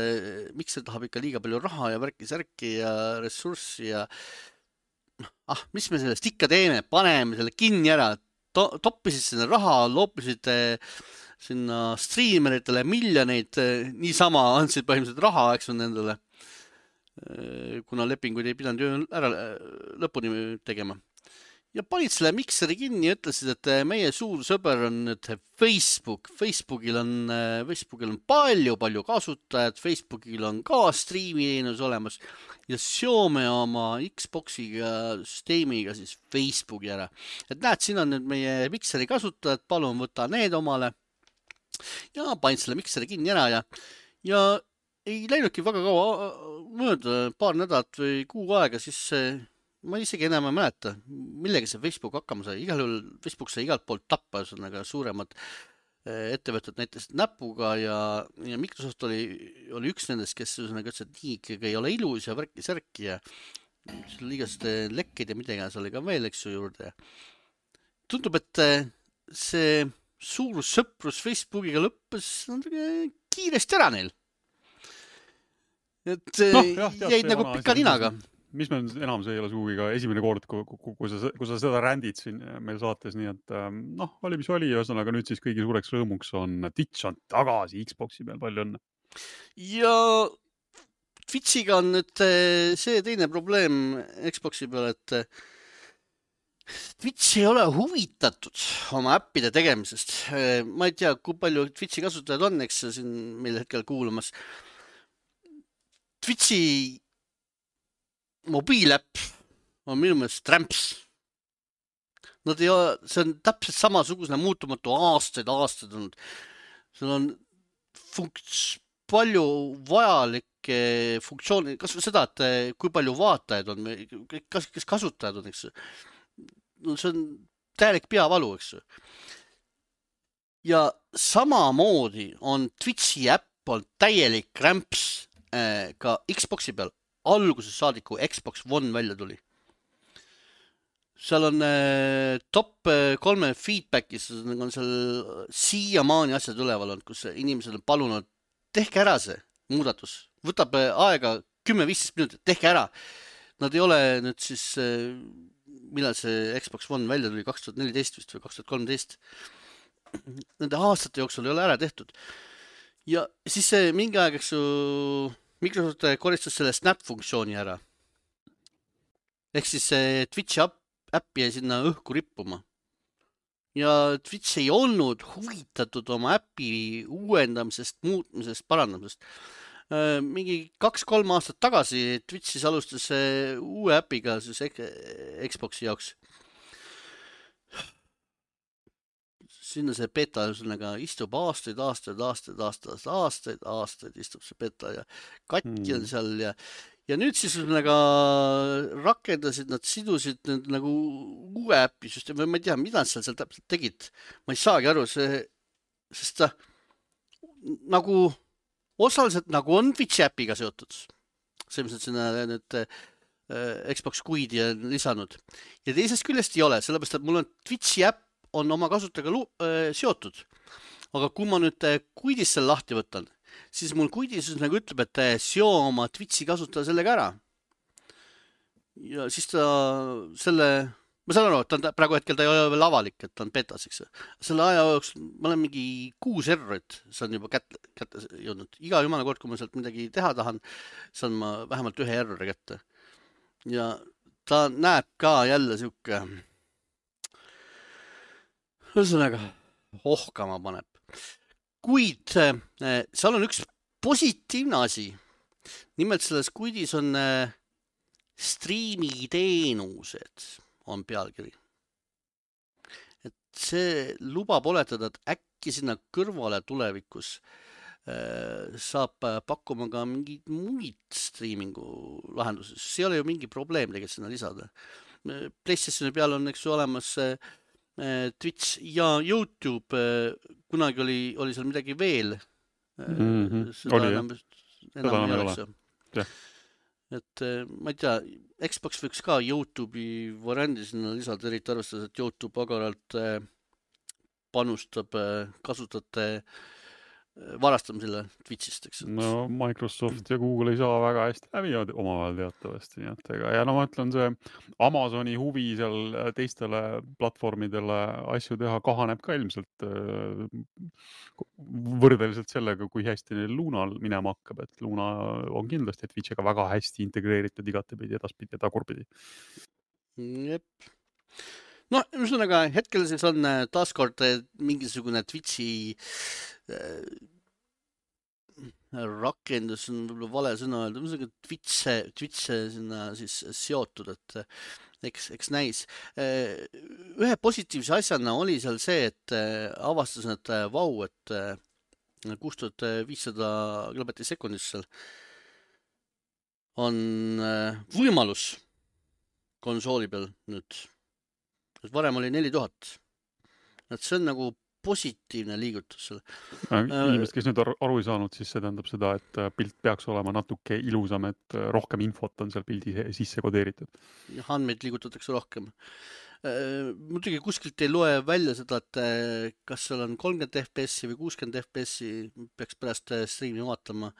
mikser tahab ikka liiga palju raha ja värki-särki ja ressurssi ja ah, mis me sellest ikka teeme, paneme selle kinni ära, to toppisid sinna raha, loopisid sinna striimeritele miljoneid, niisama andsid põhimõtteliselt raha, eks on nendele, kuna lepinguid ei pidanud ju ära lõpuni tegema. Ja panid selle mikseri kinni ja ütlesid, et meie suur sõber on nüüd Facebook. Facebookil on, Facebookil on palju, palju kasutajad, Facebookil on ka striimiteenus olemas ja seome oma Xboxiga süsteemiga siis Facebooki ära. Et näed, siin on nüüd meie mikseri kasutajad, palun võta need omale. Ja panid selle mikseri kinni ära ja, ja ei läinudki väga kaua mööda, paar nädalat või kuu aega, siis ma isegi enam ei mäleta, millega see Facebook hakkama sai. Igal juhul Facebook sai igalt poolt tappa, ühesõnaga suuremad ettevõtted näiteks näpuga ja, ja Microsoft oli, oli üks nendest, kes ühesõnaga ütles, et nii ikkagi ei ole ilus ja värki särki ja liigast lekkeid ja midagi seal oli ka veel, eks ju juurde. Tundub, et see suur sõprus Facebookiga lõppes kiiresti ära neil. Et no, jah, jah, jäid nagu pika ninaga. Mis me enam, see ei ole suugi ka esimene kord, kui, kui, sa, kui sa seda rändid siin meil saates, nii et noh, oli mis oli, ühesõnaga nüüd siis kõigi suureks rõõmuks on Twitch on tagasi Xboxi peal, palju õnne. Ja Twitchiga on nüüd see teine probleem Xboxi peal, et Twitch ei ole huvitatud oma äppide tegemisest. Ma ei tea, kui palju Twitchi kasutajad on, eks siin meil hetkel kuulamas. Twitchi mobiiläpp on minu meelest Tramps. Nad ei ole, see on täpselt samasugusena muutumatu aastaid, aastaid olnud. Seal on funkts, palju vajalikke funktsioone, kas seda, et kui palju vaatajaid on, kas, kes kasutajad on, eks. No, see on täielik peavalu, eks. Ja samamoodi on Twitchi äpp on täielik Tramps ka Xboxi peal. Alguses saadiku Xbox One välja tuli. Seal on äh, top kolme feedbackis on seal siiamaani asjad üleval on, kus inimesed on palunud, tehke ära see muudatus. Võtab aega kümme viisteist minutit, tehke ära. Nad ei ole nüüd siis, äh, millal see Xbox One välja tuli, kaks tuhat neliteist vist või kaks tuhat kolmteist. Nende aastate jooksul ei ole ära tehtud. Ja siis see mingi aeg, eks ju, Microsoft koristas selle Snap-funktsiooni ära. Ehk siis Twitchi äppi jäi sinna õhku rippuma. Ja Twitch ei olnud huvitatud oma äppi uuendamisest, muutmisest, parandamisest. Mingi kaks-kolm aastat tagasi Twitchis alustas uue äpiga siis Xboxi jaoks. Sinna see beta istub aastaid, aastaid, aastaid, aastaid, aastaid, aastaid istub see beta ja katki on seal ja, ja nüüd siis nagu rakendasid, nad sidusid nüüd nagu uue äpi süsteemi, või ma ei tea, mida nad seal, seal täpselt tegid. Ma ei saagi aru, see, sest ta nagu osaliselt nagu on Twitchi äpiga seotud. See, mis nad sinna nüüd Xbox Quidi on lisanud. Ja teisest küljest ei ole, sellepärast, et mul on Twitchi äpp on oma kasutajaga äh, seotud. Aga kui ma nüüd Quidis selle lahti võtan, siis mul Quidis nagu ütleb, et seo oma Twitchi kasutaja sellega ära. Ja siis ta selle, ma saan aru, et ta praegu hetkel ta ei ole veel avalik, et ta on betas, eks. Selle aja jooks ma olen mingi kuus errorit, see on juba kätte, kätte jõudnud. Iga jumala kord, kui ma sealt midagi teha tahan, saan ma vähemalt ühe errori kätte. Ja ta näeb ka jälle siuke ühesõnaga, ohkama paneb. Kuid äh, seal on üks positiivne asi. Nimelt selles Quidis on äh, striimiteenused on pealkiri. Et see lubab oletada, et äkki sinna kõrvale tulevikus äh, saab pakkuma ka mingid muid striimingu lahendusi. See ei ole ju mingi probleem tegelikult sinna lisada. PlayStationi peal on eks ju olemas äh, Twitch ja YouTube, kunagi oli, oli seal midagi veel. Mm-hmm. Seda oli, enam, enam ei oleks. Ja. Et ma ei tea, Xbox võiks ka YouTube'i variandi sinna lisada, eriti arvestades, et YouTube agaralt panustab kasutajate varastamisele Twitchist, eks. No Microsoft ja Google ei saa väga hästi läbi omavahel teatavasti, nii et ega, ja no ma ütlen, see Amazoni huvi seal teistele platvormidele asju teha kahaneb ka ilmselt võrdeliselt sellega, kui hästi neil Lunal minema hakkab, et Luna on kindlasti Twitchiga väga hästi integreeritud igatepidi, edaspidi ja tagurpidi. Jep. No, ühesõnaga, hetkel siis on taaskord mingisugune Twitchi äh, rakendus, on võib-olla vale sõna öelda, ühesõnaga Twitch, Twitch sinna siis seotud, et eks, eks näis. Äh, ühe positiivse asjana oli seal see, et äh, avastas, et äh, vau, et äh, kuus tuhat viissada kilobatti sekundis seal on äh, võimalus konsooli peal nüüd. Varem oli neli tuhat. Et see on nagu positiivne liigutus seal. Inimesed, kes nüüd aru ei saanud, siis see tähendab seda, et pilt peaks olema natuke ilusam, et rohkem infot on seal pildi sisse kodeeritud. Andmeid liigutatakse rohkem. Muidugi kuskilt ei loe välja seda, et kas seal on kolmkümmend F P S või kuuskümmend F P S, peaks pärast streami vaatama,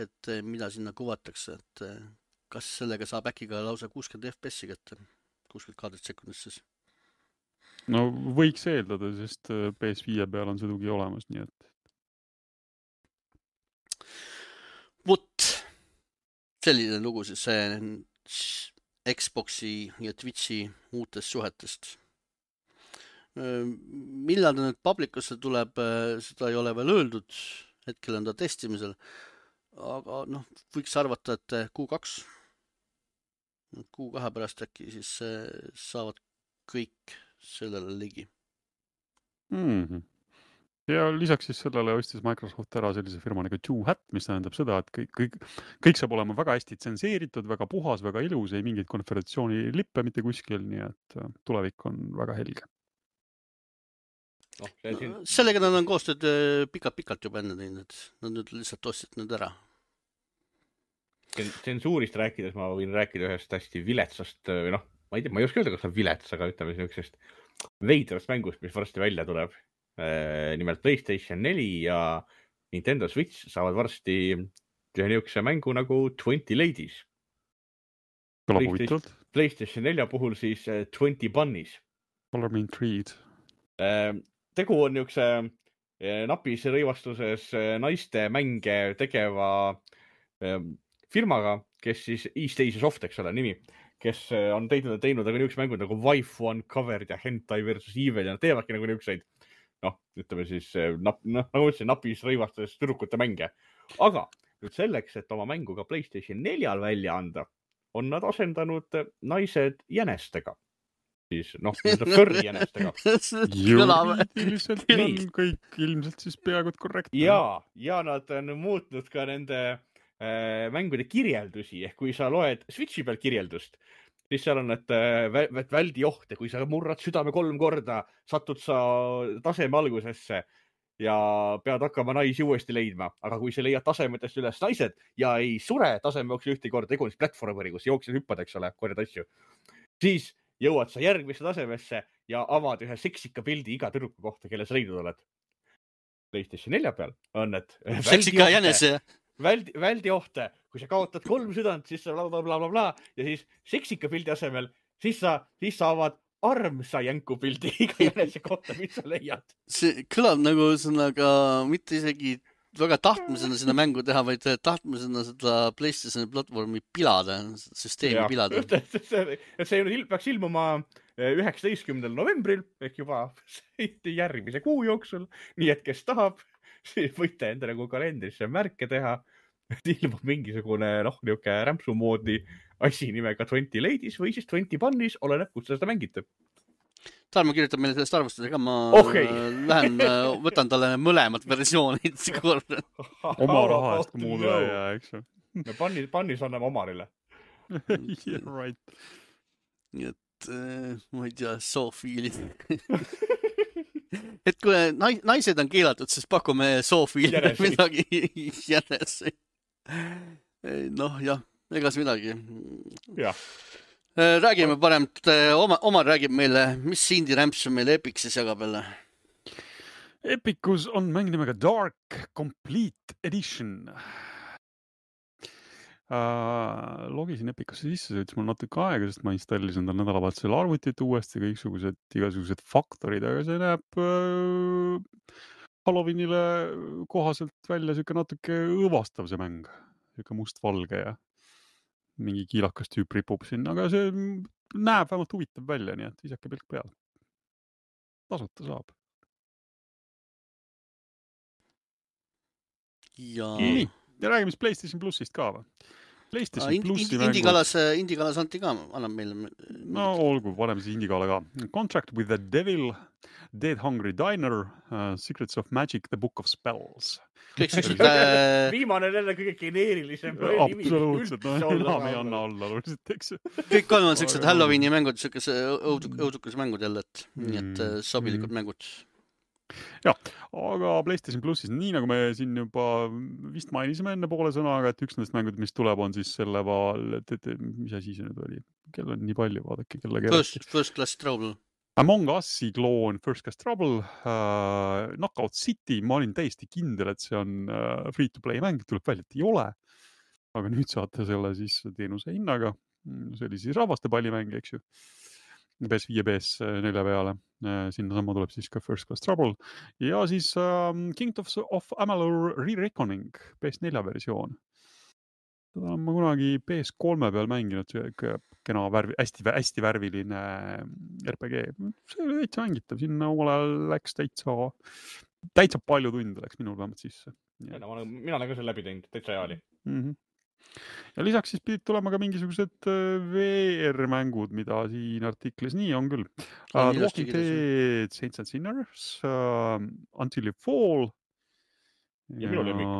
et mida sinna kuvatakse, et kas sellega saab äkki ka lausa kuuskümmend F P S-i kätte, kuuskümmend kaadrit sekundis siis. No võiks eeldada, sest P S viie peal on see tugi olemas, nii et. Vot, selline lugu siis see Xboxi ja Twitchi uutest suhetest. Millal ta nüüd publikusse tuleb, seda ei ole veel öeldud, hetkel on ta testimisel, aga noh, võiks arvata, et Q kaks, Q kahe pärast äkki siis saavad kõik sellele ligi. Mm-hmm. Ja lisaks siis sellele ostis Microsoft ära sellise firma nagu Two Hat, mis tähendab seda, et kõik, kõik, kõik saab olema väga hästi tsenseeritud, väga puhas, väga ilus, ei mingit konföderatsiooni lippe mitte kuskil, nii et tulevik on väga helge. No, siin... Sellega nad on koostööd pikalt-pikalt juba enne teinud, nad nüüd lihtsalt ostsid nüüd ära. Tsensuurist rääkides ma võin rääkida ühest hästi viletsast, või noh, ma ei tea, ma ei oska öelda, kas on vilets, aga ütleme sellisest veidrast mängust, mis varsti välja tuleb. Nimelt PlayStation neli ja Nintendo Switch saavad varsti ühe niisuguse mängu nagu twenty Ladies. PlayStation, PlayStation nelja puhul siis twenty Bunnies. Color me intrigued. Tegu on niisuguse napis rõivastuses naiste mänge tegeva firmaga, kes siis East Asia Soft, eks ole, nimi, kes on teinud, teinud aga niisugused mängud nagu Wife One Covered ja Hentai versus Evil ja nad teevadki nagu niisuguseid, noh, ütleme siis, nap, noh, nagu ütlesin, napis rõivastuses tüdrukute mänge. Aga nüüd selleks, et oma mängu ka PlayStation neljal välja anda, on nad asendanud naised jänestega. Siis, noh, furry jänestega. Juriidiliselt on kõik ilmselt siis peaaegu korrektne. Ja, ja nad on muutnud ka nende äh, mängude kirjeldusi, ehk kui sa loed Switchi peal kirjeldust, siis seal on, et äh, väldi ohte, kui sa murrad südame kolm korda, satud sa taseme algusesse ja pead hakkama naisi uuesti leidma, aga kui sa leiad tasemetest üles naised ja ei sure taseme jooksul ühte korda, tegu on siis platvormeri, kus jooksed hüppad, eks ole, korjad asju, siis jõuad sa järgmisse tasemesse ja avad ühe seksika pildi iga tüdruku kohta, kelle sa leidnud oled. PlayStation nelja peal on, et seksika jänese. Väldi, väldi ohte, kui sa kaotad kolm südant, siis sa bla, bla, bla, bla, bla, ja siis seksika pildi asemel, siis sa, siis sa avad armsa jänku pildi iga jänese kohta, mis sa leiad. See kõlab nagu sõnaga mitte isegi väga tahtmisena sinna mängu teha, vaid tahtmisena seda PlayStation platvormi pilada, süsteemi ja, pilada. See, see peaks ilmuma üheksateistkümnendal novembril, ehk juba järgmise kuu jooksul, nii et kes tahab, siis võite enda nagu kalendrisse märke teha, et ilmub mingisugune noh, niuke rämpsumoodi asi nimega twenty Ladies või siis twenty Bunnies, oleneb, kus seda mängite. Tarmo kirjutab meile sellest arvustusega, ma okay. lähen, võtan talle mõlemad versioonid korda. Oma raha eest, kui muud ei jää, eks ju. Me pannis, pannis anname omarile. Yeah, right. Nii et, ma ei tea, soofiilid. Et kui naised on keelatud, siis pakume soofiilid midagi jänesi. Noh, jah, egas midagi. Jah. Räägime parem, Omar, Omar räägib meile, mis indie rämps on meile Epixis jagab jälle? Epicus on mäng nimega Dark Complete Edition. Uh, logisin Epicusse sisse, see võttis mul natuke aega, sest ma installisin tal nädalavahetusel arvutit uuesti, kõiksugused igasugused faktorid, aga see näeb uh, Halloweenile kohaselt välja siuke natuke õõvastav see mäng. Siuke must-valge ja mingi kiilakas tüüp ripub sinna, aga see näeb vähemalt huvitav välja, nii et visake pilk peal. Tasuta saab. Ja... Nii, ja räägime siis PlayStation Plusist ka või? PlayStation ah, Plussi mängud. Indikalas, Indikalas anti ka, annab meile... No olgu, paneme siis Indikala ka. Contract with the Devil, Dead Hungry Diner, uh, Secrets of Magic, The Book of Spells. Kõik sellised... Äh... Viimane on jälle kõige geneerilisem. Absoluutselt, no enam ei anna alla. Eks. Kõik kolm on sellised Halloweeni mängud, sellised õudukas mängud jälle, et mm. nii et sobilikud mm. mängud. Ja, aga PlayStation Plusis, nii nagu me siin juba vist mainisime enne poole sõnaga, et üks nendest mängud, mis tuleb, on siis selle vaal, et, et mis asi see nüüd oli? Kell on nii palju, vaadake, kelle keelati. First, first Class Trouble. Among Us'i kloon First Class Trouble, uh, Knockout City, ma olin täiesti kindel, et see on uh, free-to-play mäng, tuleb välja, et ei ole. Aga nüüd saate selle siis teenuse hinnaga. See oli siis rahvaste pallimäng, eks ju. P S viis ja P S neli peale. Sinna sama tuleb siis ka First Class Trouble. Ja siis um, Kingdoms of Amalur Re-Reckoning, P S neli versioon. Seda olen ma kunagi P S kolme peal mänginud, see kena värvi, hästi, hästi värviline R P G. See oli täitsa mängitav, sinna omal ajal läks täitsa, täitsa palju tunde läks minul vähemalt sisse. Ja, no, mina olen ka selle läbi teinud, täitsa hea oli. Mm-hmm. Ja lisaks siis pidid tulema ka mingisugused V R-mängud, mida siin artiklis nii on küll. Uh, Walking Dead, Saints and Sinners, uh, Until You Fall. Ja minu lemmik.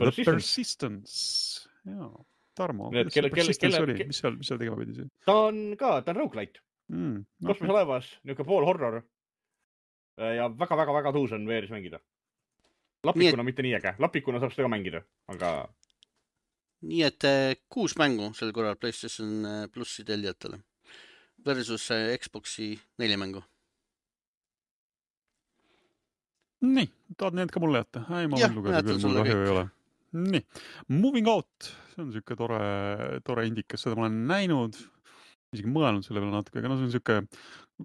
The Persistence. Ja, Tarmo, kuidas see Persistence oli? Mis seal, mis seal tegema pidi see? Ta on ka, ta on roguelite. Mm, kosmoselaevas, niuke pool horror. Ja väga-väga-väga tuus on V R-is mängida. Lapikuna et... mitte nii äge. Lapikuna saab seda ka mängida, aga... Nii et kuus mängu sel korral PlayStation Plussi tellijatele versus Xboxi neli mängu. Nii, tahad need ka mulle jätta? Ei, ma võin lugeda küll, mul kahju ei ole. Nii, Moving Out, see on siuke tore, tore indikas, seda ma olen näinud, isegi mõelnud selle peale natuke, aga no see on siuke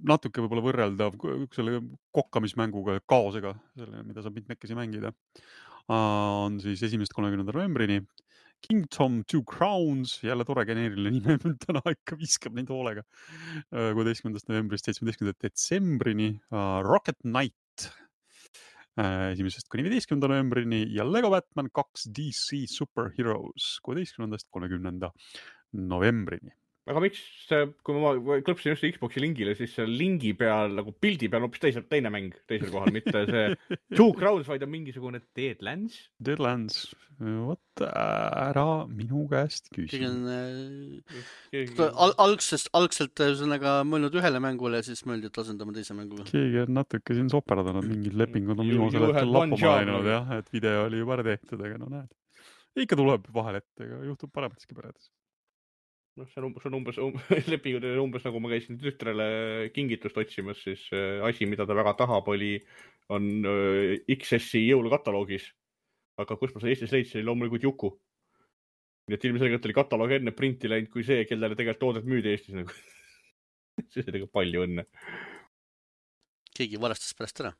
natuke võib-olla võrreldav selle kokkamismänguga, kaosega, selle, mida saab mitmekesi mängida. On siis esimesest kolmekümnenda novembrini. Kingdom Two Crowns, jälle tore geneeriline nime, täna ikka viskab neid hoolega. kuueteistkümnendast novembrist seitsmeteistkümnenda detsembrini. Rocket Knight esimesest kuni viieteistkümnenda novembrini ja Lego Batman kaks D C Super Heroes kuueteistkümnendast kolmekümnenda novembrini. Aga miks, kui ma klõpsin just Xboxi lingile, siis lingi peal, nagu pildi peal hoopis teisel, teine mäng teisel kohal, mitte see Two Crowns, vaid on mingisugune Deadlands. Deadlands, võt ära minu käest küsi. Al algsest, algselt sõnaga mõelnud ühele mängule ja siis mõeldi, et asendama teise mängule. Keegi on natuke siin soperdanud, mingid lepingud on viimasel hetkel lappama läinud, jah, et video oli juba ära tehtud, aga no näed. Ikka tuleb vahel ette, aga juhtub parematiski peredes. No, see on umbes, on umbes, umbes lepingud umbes nagu ma käisin tütrele kingitust otsimas, siis asi, mida ta väga tahab, oli, on X S-i jõulukataloogis. Aga kus ma see Eestis leidsin, oli loomulikult Juku. Nii et ilmselgelt oli kataloog enne printi läinud kui see, kellele tegelikult toodet müüdi Eestis. Nagu. See oli palju õnne. Keegi varastas pärast ära.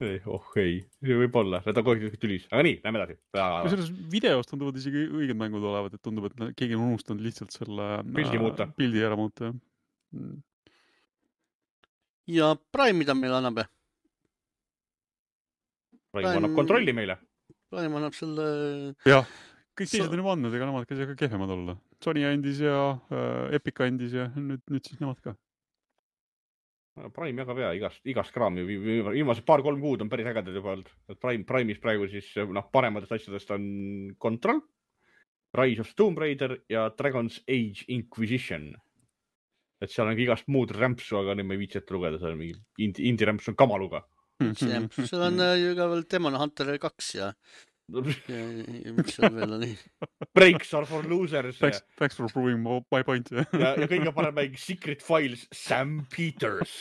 Ei, oh ei, see võib olla, need on kogu aeg tülis, aga nii, lähme edasi. Selles videos tunduvad isegi õiged mängud olevat, et tundub, et keegi on unustanud lihtsalt selle pildi, muuta. pildi ära muuta. Ja Prime, mida meil annab? Prime, Prime annab kontrolli meile. Prime annab selle... Jah, kõik teised on juba andnud, ega nemad käis ka kehvemad olla. Sony andis ja äh, Epic andis ja nüüd, nüüd siis nemad ka. Prime jagab ja igast, igast kraami. Viimased paar-kolm kuud on päris ägedad juba olnud. Prime, Prime'is praegu siis noh, parematest asjadest on Control, Rise of Tomb Raider ja Dragon's Age Inquisition. Et seal on igast muud rämpsu, aga nüüd ma ei viitsi ette lugeda. Seal on mingi indie, indie rämpsu on kamaluga. Seal on ju ka veel Demon Hunter kaks ja... ja, ja mis seal veel on nii? Breaks are for losers. Thanks, thanks for proving my point. ja, ja kõige parem mäng Secret Files Sam Peters.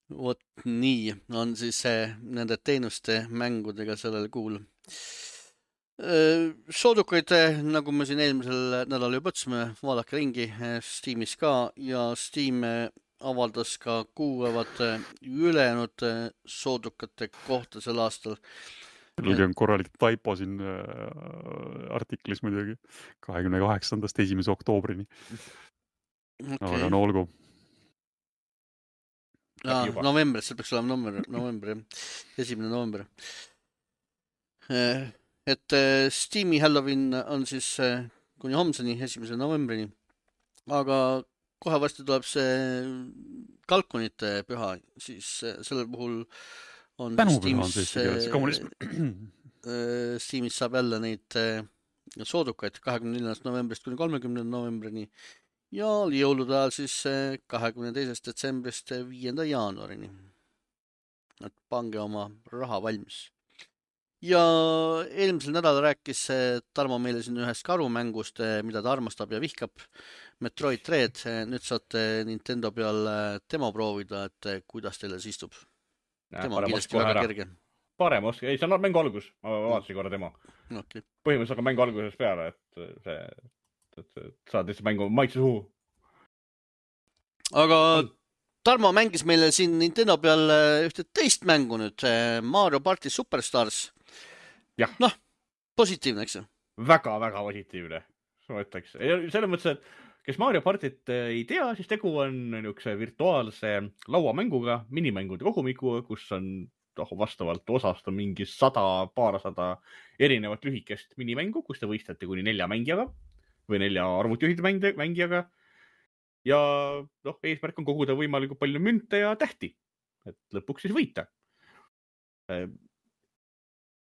Vot nii on siis äh, nende teenuste mängudega sellel kuul. Äh, Soodukaid, äh, nagu me siin eelmisel nädalal juba otsime, vaadake ringi äh, Steamis ka ja Steam äh, avaldas ka kuupäevad äh, ülejäänud äh, soodukate kohta sel aastal. Selgi on korralik taipo siin äh, artiklis muidugi kahekümne kaheksandast esimese oktoobrini. Okay. Aga no olgu. Ja, novembris, see peaks olema november, november, esimene november. Et Steam'i Halloween on siis kuni homseni, esimese novembrini. Aga kohe vasti tuleb see kalkunite püha, siis sellel puhul on Tänupüha on see eesti keeles, Steamis saab jälle neid soodukaid kahekümne neljandast novembrist kuni kolmekümnenda novembrini. Ja jõulude ajal siis kahekümne teisest detsembrist viienda jaanuarini. Et pange oma raha valmis. Ja eelmisel nädal rääkis Tarmo meile siin ühest karumängust, mida ta armastab ja vihkab. Metroid Dread. Nüüd saate Nintendo peal demo proovida, et kuidas teile siis istub. Demo on kindlasti väga kerge. Parem oska. Ei, see on mängu algus. Ma vaatasin korra demo. Okay. Põhimõtteliselt on mängu alguses peale, et see... et saad lihtsalt mängu maitse suhu. Aga Tarmo mängis meile siin Nintendo peal ühte teist mängu nüüd, Mario Party Superstars. Jah. Noh, positiivne, eks? Väga, väga positiivne. Ma ütleks. Selles mõttes, et kes Mario Partit ei tea, siis tegu on niisuguse virtuaalse lauamänguga, minimängude kogumikuga, kus on oh, vastavalt osast on mingi sada, paarsada erinevat lühikest minimängu, kus te võistlete kuni nelja mängijaga või nelja arvutijuhide mängijaga. Ja noh, eesmärk on koguda võimalikult palju münte ja tähti, et lõpuks siis võita.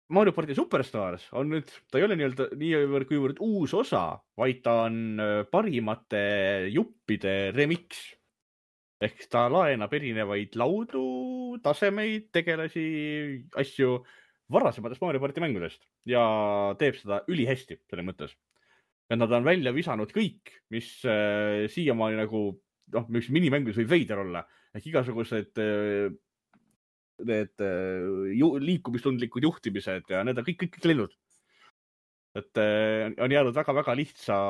Mario Party Superstars on nüüd, ta ei ole nii-öelda niivõrd kuivõrd uus osa, vaid ta on parimate juppide remix. Ehk ta laenab erinevaid laudu, tasemeid, tegelasi, asju varasematest Mario Party mängudest ja teeb seda ülihästi selle mõttes. Ja nad on välja visanud kõik, mis äh, siiamaani nagu, noh, mis minimängus võib veider olla. Ehk igasugused äh, need äh, ju, liikumistundlikud juhtimised ja need on kõik, kõik, kõik lennud. Et äh, on jäänud väga-väga lihtsa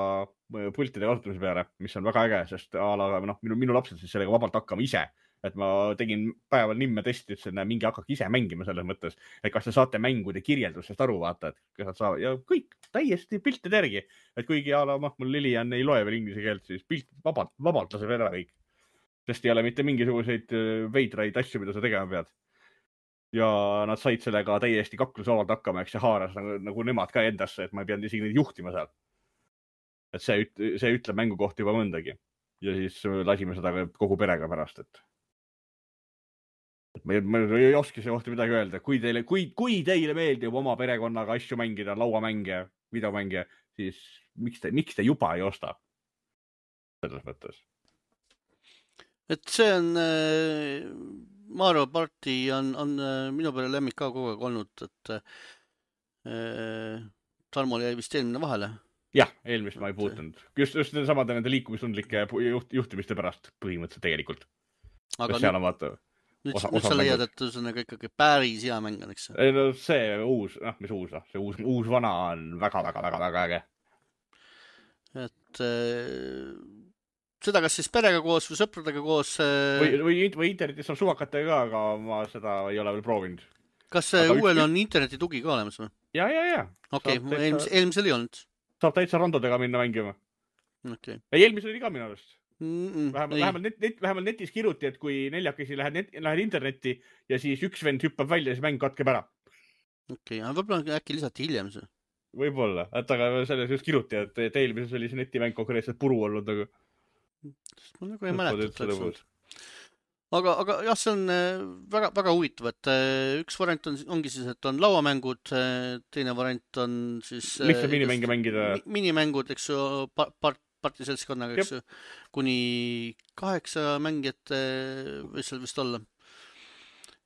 pultide kasutamise peale, mis on väga äge, sest ala, noh, minu, minu lapsed siis sellega vabalt hakkama ise. Et ma tegin päeval nimme testi, ütlesin, et mingi hakkak ise mängima selles mõttes, et kas te saate mängude kirjeldusest aru vaata, et kas nad saavad ja kõik täiesti piltide järgi, et kuigi ala, ma, mul Lilian ei loe veel inglise keelt, siis pilt vabalt, vabalt laseb ära kõik, sest ei ole mitte mingisuguseid veidraid asju, mida sa tegema pead. Ja nad said sellega täiesti kaklusavalt hakkama, eks see haaras nagu, nagu nemad ka endasse, et ma ei pidanud isegi neid juhtima seal. Et see, see ütleb mängu kohta juba mõndagi ja siis lasime seda kogu perega pärast, et Ma ei, ma ei oska see kohta midagi öelda. Kui teile, kui, kui teile meeldib oma perekonnaga asju mängida, lauamänge, videomänge, siis miks te, miks te juba ei osta? Selles mõttes. Et see on äh, Mario Party on, on äh, minu peale lemmik ka kogu aeg olnud, et äh, Tarmol jäi vist eelmine vahele. Jah, eelmist ma ei puutunud. Just, just samade nende liikumistundlike juht, juhtimiste pärast põhimõtteliselt tegelikult. Aga seal on vaata... Nüüd, osa, nüüd osa sa leiad, et see on ikkagi päris hea mäng, eks? Ei, no see uus, noh, mis uus, see uus, uus vana on väga, väga, väga, väga äge. Et äh, seda kas siis perega koos või sõpradega koos... Äh, või, või, või internetis on suvakatega ka, aga ma seda ei ole veel proovinud. Kas aga uuel üks... on interneti tugi ka olemas või? Ja, ja, ja. Okei, okay, eelmis, eelmisel ei olnud. Saab täitsa randodega minna mängima. Okay. Ei, eelmisel oli ka minu arust. Mm -mm, vähemalt, vähemalt, net, net, vähemalt netis kiruti, et kui neljakesi lähed, net, lähed internetti ja siis üks vend hüppab välja ja siis mäng katkeb ära. Okei, okay, võib-olla äkki lisati hiljem see? Võib-olla, et aga selles just kiruti, et, et eelmises oli see netimäng konkreetselt puru olnud. Aga... Ma nagu ei mäleta. Aga, aga jah, see on väga, väga huvitav, et üks variant on, ongi siis, et on lauamängud, teine variant on siis... Lihtsalt minimänge mängida. Minimängud, eks ju, part partiseltskonnaga, eks ju, kuni kaheksa mängijat võis seal vist olla.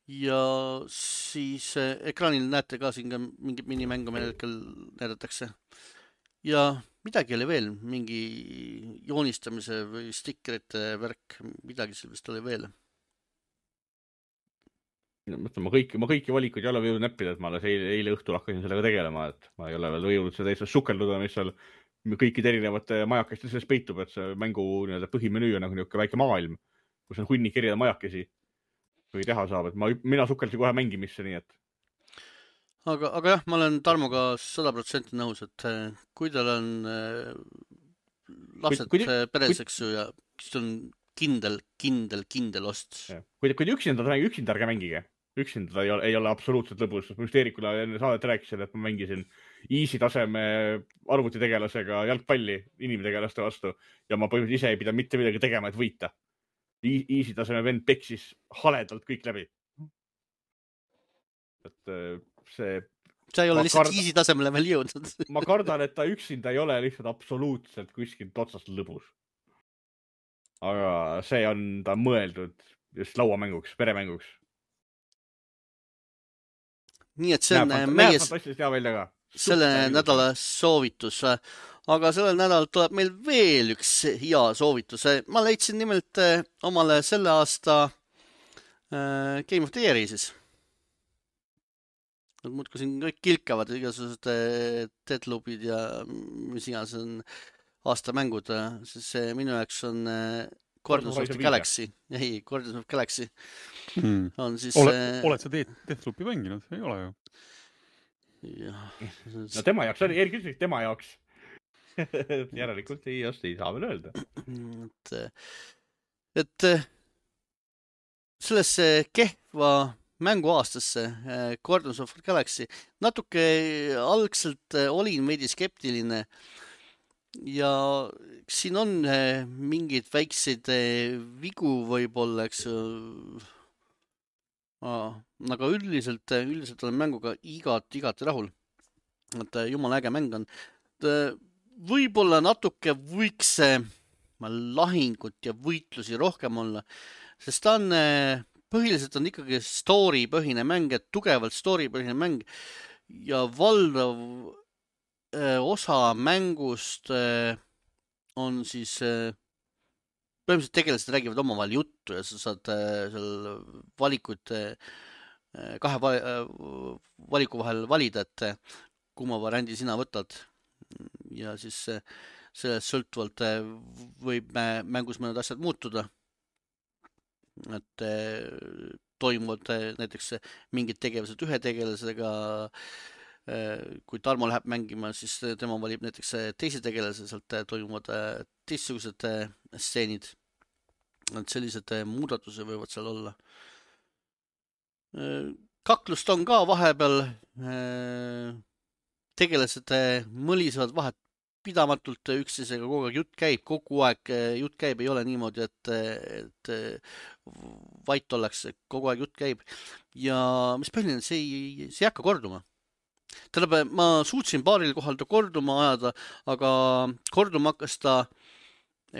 Ja siis ekraanil näete ka siin ka mingit minimängu meil hetkel näidatakse. Ja midagi oli veel, mingi joonistamise või stikkerite värk, midagi seal vist oli veel. mõtlen, ma kõiki, ma kõiki valikuid ei ole võinud näppida, et ma alles eile, eile õhtul hakkasin sellega tegelema, et ma ei ole veel võinud seda täitsa sukelduda, mis seal kõikide erinevate majakeste sees peitub, et see mängu nii-öelda põhimenüü on nagu niisugune väike maailm, kus on hunnik erinevaid majakesi või teha saab, et ma, mina sukeldasin kohe mängimisse, nii et. Aga, aga jah, ma olen Tarmoga sada protsenti nõus, et kui tal on äh, lapsed kui, kui, peres, eks ju, ja siis on kindel, kindel, kindel ost. Kui, kui üksinda ta mängi, üksinda ärge mängige. Üksinda ta ei ole, ei ole absoluutselt lõbus. Ma just Eerikule enne saadet rääkisin, et ma mängisin easy taseme arvutitegelasega jalgpalli inimtegelaste vastu ja ma põhimõtteliselt ise ei pidanud mitte midagi tegema, et võita. Easy taseme vend peksis haledalt kõik läbi. Et see... sa ei ole lihtsalt kardan, easy tasemele veel jõudnud. ma kardan, et ta üksinda ei ole lihtsalt absoluutselt kuskilt otsast lõbus. Aga see on ta mõeldud just lauamänguks, peremänguks. Nii et see on näeb, meie hea välja ka. selle nädala soovitus. Aga sellel nädalal tuleb meil veel üks hea soovitus. Ma leidsin nimelt omale selle aasta Game of the Year'i siis. Nad muudku siin kõik kilkavad, igasugused Deadloopid ja mis iganes on aastamängud, siis see minu jaoks on Guardians of the Galaxy. Ei, Guardians of the Galaxy. Hmm. On siis... Oled, oled sa Deathloopi mänginud? Ei ole ju. Ja. No tema jaoks oli, Erik ütles, tema jaoks. Järelikult ei, just ei saa veel öelda. Et, et sellesse kehva mänguaastasse Guardians of the Galaxy natuke algselt olin veidi skeptiline ja siin on mingeid väikseid vigu võib-olla, eks aga üldiselt, üldiselt olen mänguga igat, igati rahul. Et jumala äge mäng on. Võib-olla natuke võiks lahingut ja võitlusi rohkem olla, sest ta on, põhiliselt on ikkagi story põhine mäng, et tugevalt story põhine mäng ja valdav osa mängust on siis põhimõtteliselt tegelased räägivad omavahel juttu ja sa saad seal valikuid kahe valiku vahel valida, et kumma variandi sina võtad ja siis sellest sõltuvalt võib mängus mõned asjad muutuda, et toimuvad näiteks mingid tegevused ühe tegelasega. Kui Tarmo läheb mängima, siis tema valib näiteks teise tegelase, sealt toimuvad teistsugused stseenid. Et sellised muudatused võivad seal olla. Kaklust on ka vahepeal. Tegelased mõlisevad vahet pidamatult üksteisega, kogu aeg jutt käib, kogu aeg jutt käib, ei ole niimoodi, et, et vait ollakse, kogu aeg jutt käib. Ja mis põhiline, see ei, see ei hakka korduma. Tähendab, ma suutsin paaril kohal ta korduma ajada, aga korduma hakkas ta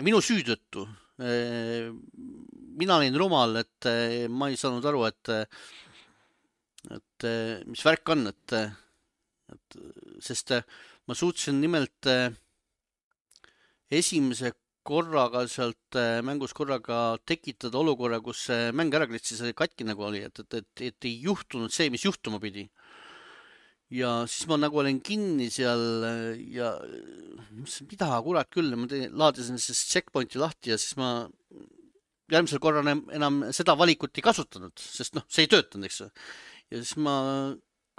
minu süü tõttu. Mina olin rumal, et ma ei saanud aru, et, et mis värk on, et, et sest ma suutsin nimelt esimese korraga sealt mängus korraga tekitada olukorra, kus mäng ära klitsis katki nagu oli, et, et, et, et ei juhtunud see, mis juhtuma pidi. Ja siis ma nagu olen kinni seal ja mida kurat küll, ma laadisin siis checkpointi lahti ja siis ma järgmisel korral enam seda valikut ei kasutanud, sest noh, see ei töötanud, eks. Ja siis ma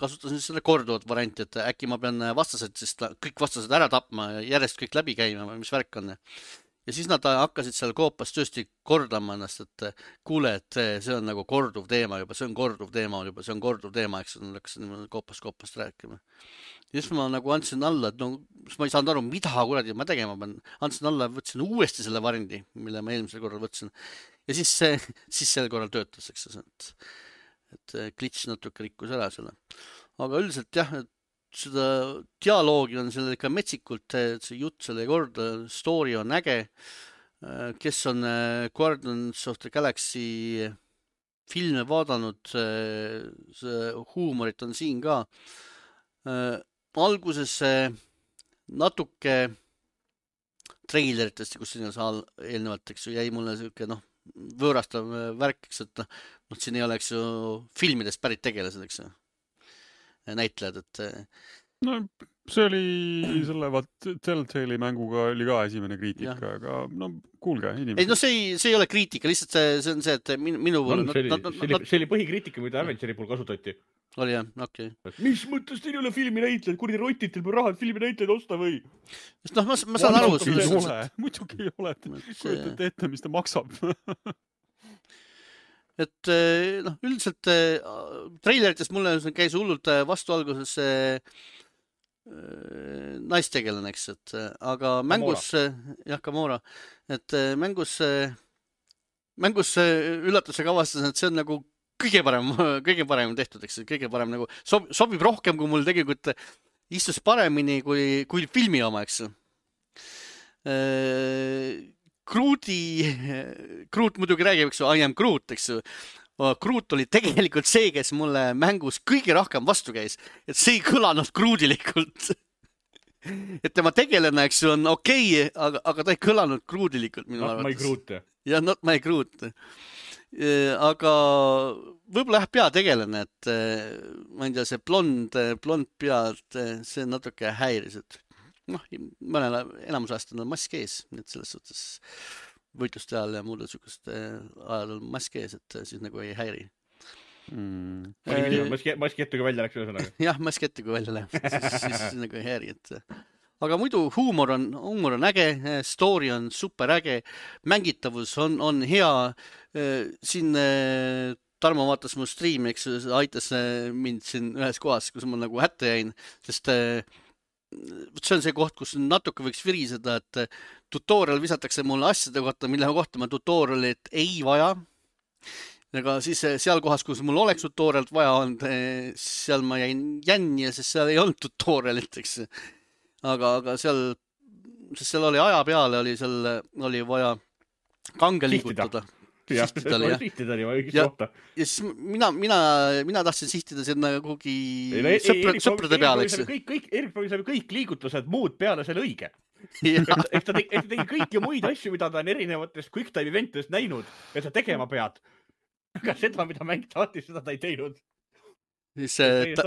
kasutasin selle korduvat varianti, et äkki ma pean vastased, sest kõik vastased ära tapma ja järjest kõik läbi käima, mis värk on. Ja siis nad hakkasid seal koopas tõesti kordama ennast, et kuule, et see on nagu korduv teema juba, see on korduv teema juba, see on korduv teema, eks nad hakkasid koopas koopast rääkima. Ja siis ma nagu andsin alla, et no, ma ei saanud aru, mida kuradi ma tegema pean. Andsin alla, võtsin uuesti selle varindi, mille ma eelmisel korral võtsin. Ja siis, siis sel korral töötas, eks et, et glitch natuke rikkus ära selle. Aga üldiselt jah, et seda dialoogi on selle ikka metsikult, see jutt selle korda, story on äge. Kes on Guardians of the Galaxy filme vaadanud, see huumorit on siin ka. Alguses natuke treileritest, kus siin on saal eelnevalt, eks ju, jäi mulle selline noh, võõrastav värk, eks, et noh, siin ei oleks ju filmidest pärit tegelased, eks ju, näitlejad, et no see oli selle vaat Telltale'i mänguga oli ka esimene kriitika, Jah. aga no kuulge, ei, inimesed. no see ei, see ei ole kriitika, lihtsalt see, see on see, et minu, minu On, no, see, oli, no, no, see, oli, no, see oli põhikriitika, mida Avengeri puhul kasutati. oli jah, okei. Mis mõttes teil ei ole filmi näitlejad, kurdi rotitel või rahad filmi näitlejaid osta või? Sest noh, ma, ma saan aru, Muidugi ei selles ole, muidugi ei ole, see- kujutate ette, mis ta maksab. et eh, noh, üldiselt eh, treileritest mulle käis hullult eh, vastu alguses see eh, naistegelane, eks, et eh, aga mängus, eh, jah, Gamora, et eh, mängus, eh, mängus eh, üllatusega avastasin, et see on nagu kõige parem, kõige parem tehtud, eks, kõige parem nagu sob, sobib rohkem, kui mul tegelikult istus paremini kui, kui filmi oma, eks. Grooti, Groot muidugi räägib, eks ju, I am Groot, eks ju. Groot oli tegelikult see, kes mulle mängus kõige rohkem vastu käis, et see ei kõlanud Grootilikult. et tema tegelane, eks ju, on okei, okay, aga, aga ta ei kõlanud Grootilikult minu Not my arvates. Groot. jah, not my Groot. aga võib-olla jah, peategelane, et ma ei tea, see blond, blond pead, see natuke häiris, et noh, mõnele enamus ajast on mask ees, et selles suhtes võitluste ajal ja muudel sükeste ajal on mask ees, et siis nagu ei häiri. Mm. Maski, maski ette, kui välja läks ühesõnaga. jah, mask ette, kui välja läheb, siis, siis nagu ei häiri, et aga muidu huumor on, huumor on äge, story on super äge, mängitavus on, on hea. Siin Tarmo vaatas mu striimi, eks aitas mind siin ühes kohas, kus ma nagu hätta jäin, sest see on see koht, kus natuke võiks viriseda, et tutorial visatakse mulle asjade kohta, mille kohta ma tutorialit ei vaja. Aga siis seal kohas, kus mul oleks tutorialt vaja olnud, seal ma jäin jänni, sest seal ei olnud tutorialit, eks. Aga, aga seal, sest seal oli aja peale, oli seal, oli vaja kange liigutada. Sihtida oli, jah. Sihtida oli õigest ja, kohta. Ja siis mina, mina, mina tahtsin sihtida sinna kuhugi ei, no, sõpra, sõprade peale, eks. Kõik, kõik, Erik proovis läbi kõik liigutused muud peale selle õige. Eks ta tegi, ta tegi kõiki muid asju, mida ta on erinevatest quick time eventidest näinud, et sa tegema pead. Aga seda, mida mäng tahtis, seda ta ei teinud. Siis ta,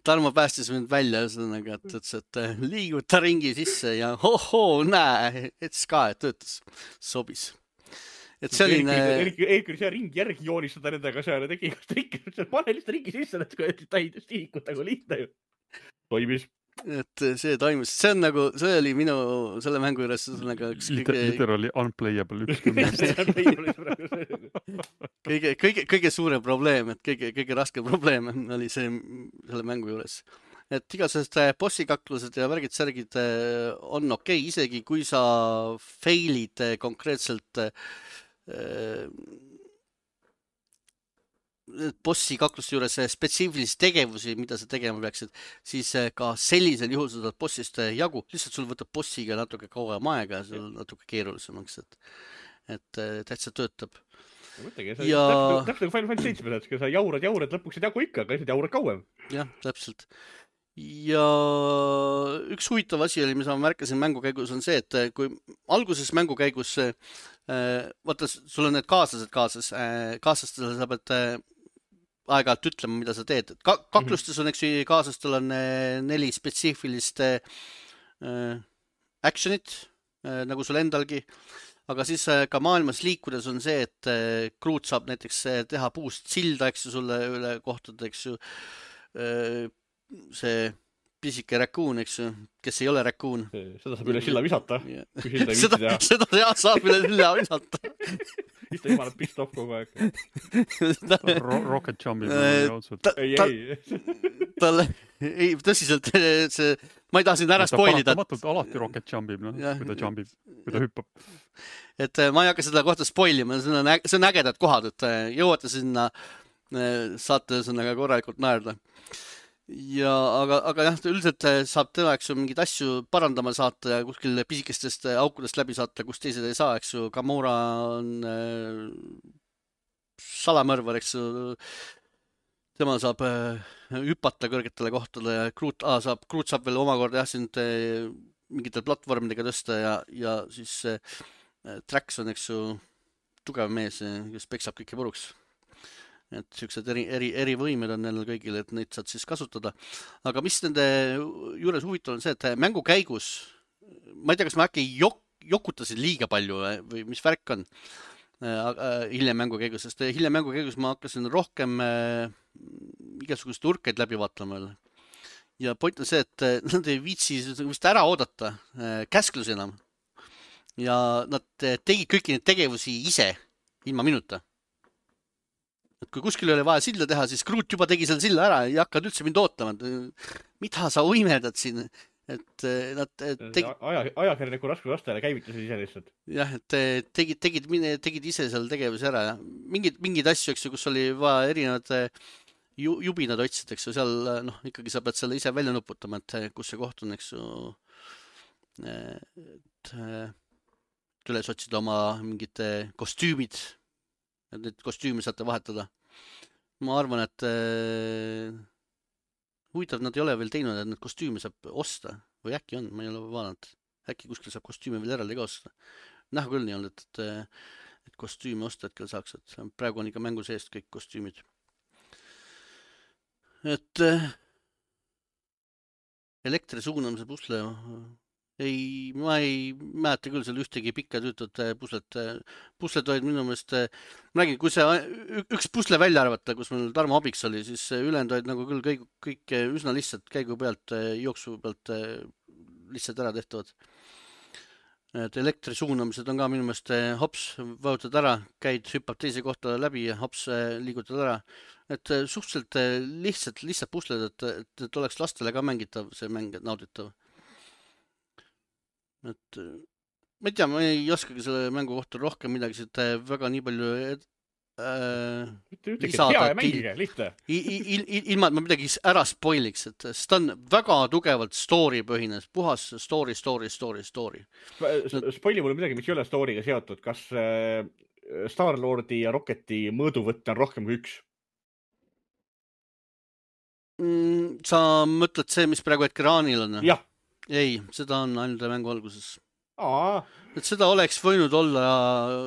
Tarmo päästis mind välja, ühesõnaga, et ütles, et liiguta ringi sisse ja hohoo, näe, et ska, et töötas, sobis. Et selline... Erik, Erik oli seal ringi järgi joonistada nendega seal ja tegi igast ringi, pane lihtsalt ringi sisse, et ta ei stiikuta, kui lihtne ju. Toimis. Et see toimis. See on nagu, see oli minu selle mängu juures nagu üks kõige... Literally unplayable üks kõige, kõige, kõige suurem probleem, et kõige, kõige raskem probleem oli see selle mängu juures. Et igasest bossikaklused ja värgid-särgid on okei, okay, isegi kui sa failid konkreetselt bossi kakluste juures spetsiifilisi tegevusi, mida sa tegema peaksid, siis ka sellisel juhul sa saad bossist jagu, lihtsalt sul võtab bossiga natuke kauem aega ja sul natuke keerulisemaks, et, et täitsa töötab. Mõtlegi, ja... täpselt nagu Final Fantasy seitse, et sa jaurad, jaurad, lõpuks ei jagu ikka, aga lihtsalt jaurad kauem. jah, täpselt. Ja üks huvitav asi oli, mis ma märkasin mängu käigus, on see, et kui alguses mängu käigus, vaata, sul on need kaaslased kaasas, kaaslastele sa pead aeg-ajalt ütlema, mida sa teed. Ka kaklustes on, eks ju, kaaslastel on neli spetsiifilist actionit, nagu sul endalgi, aga siis ka maailmas liikudes on see, et Groot saab näiteks teha puust silda, eks ju, sulle üle kohtade, eks ju, see pisike räkuun, eks ju, kes ei ole räkuun. Seda saab üle silla visata. Seda, seda jah, saab üle silla visata. Mis ta jumalad pissed off kogu aeg. Rocket jumpib. Ei, ei. Talle, ei, tõsiselt, see, ma ei taha siin ära spoilida. Ta paratamatult alati rocket jumpib, no, kui ta jumpib, kui ta hüppab. Et ma ei hakka seda kohta spoilima, see on, see on ägedad kohad, et jõuate sinna, saate sinna korralikult naerda. Ja, aga, aga jah, üldiselt saab teda, eks ju, mingid asju parandama saata ja kuskil pisikestest aukudest läbi saata, kus teised ei saa, eks ju. Gamora on äh, salamõrvar, eks ju. Tema saab äh, hüpata kõrgetele kohtadele ja Groot, ah, saab, Groot saab veel omakorda jah, sind äh, mingitel platvormidega tõsta ja, ja siis äh, Drax on, eks ju, tugev mees, kes peksab kõiki puruks. et siuksed eri, eri, eri võimed on neil kõigil, et neid saad siis kasutada. Aga mis nende juures huvitav on see, et mängu käigus, ma ei tea, kas ma äkki jok, jokutasin liiga palju või mis värk on hiljem mängu käigus, sest hiljem mängu käigus ma hakkasin rohkem igasugust urkeid läbi vaatama. Ja point on see, et nad ei viitsi vist ära oodata käsklusi enam. Ja nad tegid kõiki neid tegevusi ise, ilma minuta. Et kui kuskil oli vaja silda teha, siis Groot juba tegi selle silla ära, ei hakkad üldse mind ootama. Mida sa uimedad siin? Et nad tegi... Aja, ajakirjaniku raskuslastele käivitasid ise lihtsalt. Jah, et tegid, tegid, tegid ise seal tegevusi ära. Ja mingid, mingid asju, eks ju, kus oli vaja erinevad jubinad otsid, eks ju, seal noh, ikkagi sa pead selle ise välja nuputama, et kus see koht on, eks ju, et üles otsida oma mingid kostüümid, et need kostüümi saate vahetada. Ma arvan, et huvitav, nad ei ole veel teinud, et need kostüümi saab osta või äkki on, ma ei ole vaadanud. Äkki kuskil saab kostüümi veel eraldi ka osta. Näha küll nii on, et, et, et kostüümi osta hetkel saaks, et praegu on ikka mängu seest kõik kostüümid. Et elektri suunamise pusle ei, ma ei mäleta küll seal ühtegi pikka tüütud puslet. Pusled olid minu meelest, ma räägin, kui see üks pusle välja arvata, kus meil Tarmo abiks oli, siis ülejäänud olid nagu küll kõik, kõik üsna lihtsalt käigu pealt, jooksu pealt lihtsalt ära tehtavad. Et elektri suunamised on ka minu meelest hops, vajutad ära, käid, hüppab teise kohta läbi ja hops, liigutad ära. Et suhteliselt lihtsalt, lihtsalt pusled, et, et, et oleks lastele ka mängitav see mäng, nauditav. Et ma ei tea, ma ei oskagi selle mängu kohta rohkem midagi, et väga nii palju äh, lisada. Hea mängige, lihtne. Ilma, et ma midagi ära spoiliks, et seda on väga tugevalt story põhine, puhas story, story, story, story. Spoili mulle midagi, mis ei ole storyga seotud. Kas Star-Lordi ja Rocketi mõõduvõtte on rohkem kui üks? Sa mõtled see, mis praegu ekraanil on? Jah. Ei, seda on ainult mängu alguses. Aa. Et seda oleks võinud olla,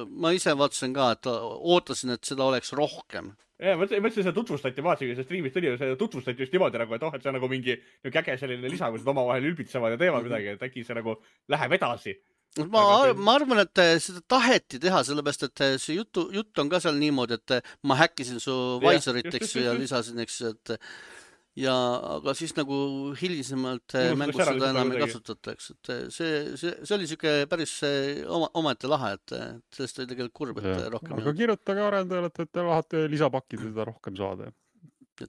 ma ise vaatasin ka, et ootasin, et seda oleks rohkem. Ja, ma mõtlesin, seda tutvustati, vaatasin, see streamist oli, see tutvustati just niimoodi nagu, et oh, et see on nagu mingi äge selline lisa, kus oma vahel ülbitsevad ja teevad midagi, et äkki see nagu läheb edasi. Ma, ma arvan, et seda taheti teha, sellepärast, et see jutu, jutt on ka seal niimoodi, et ma häkkisin su Visorit, eks, ja lisasin, eks, et ja aga siis nagu hilisemalt mängus seda enam ei kasutata, eks, et see, see, see oli siuke päris oma, omaette lahe, et sellest oli tegelikult kurb, et ja, rohkem. Aga kirjutage arendajale, et te tahate lisapakkida seda rohkem saada.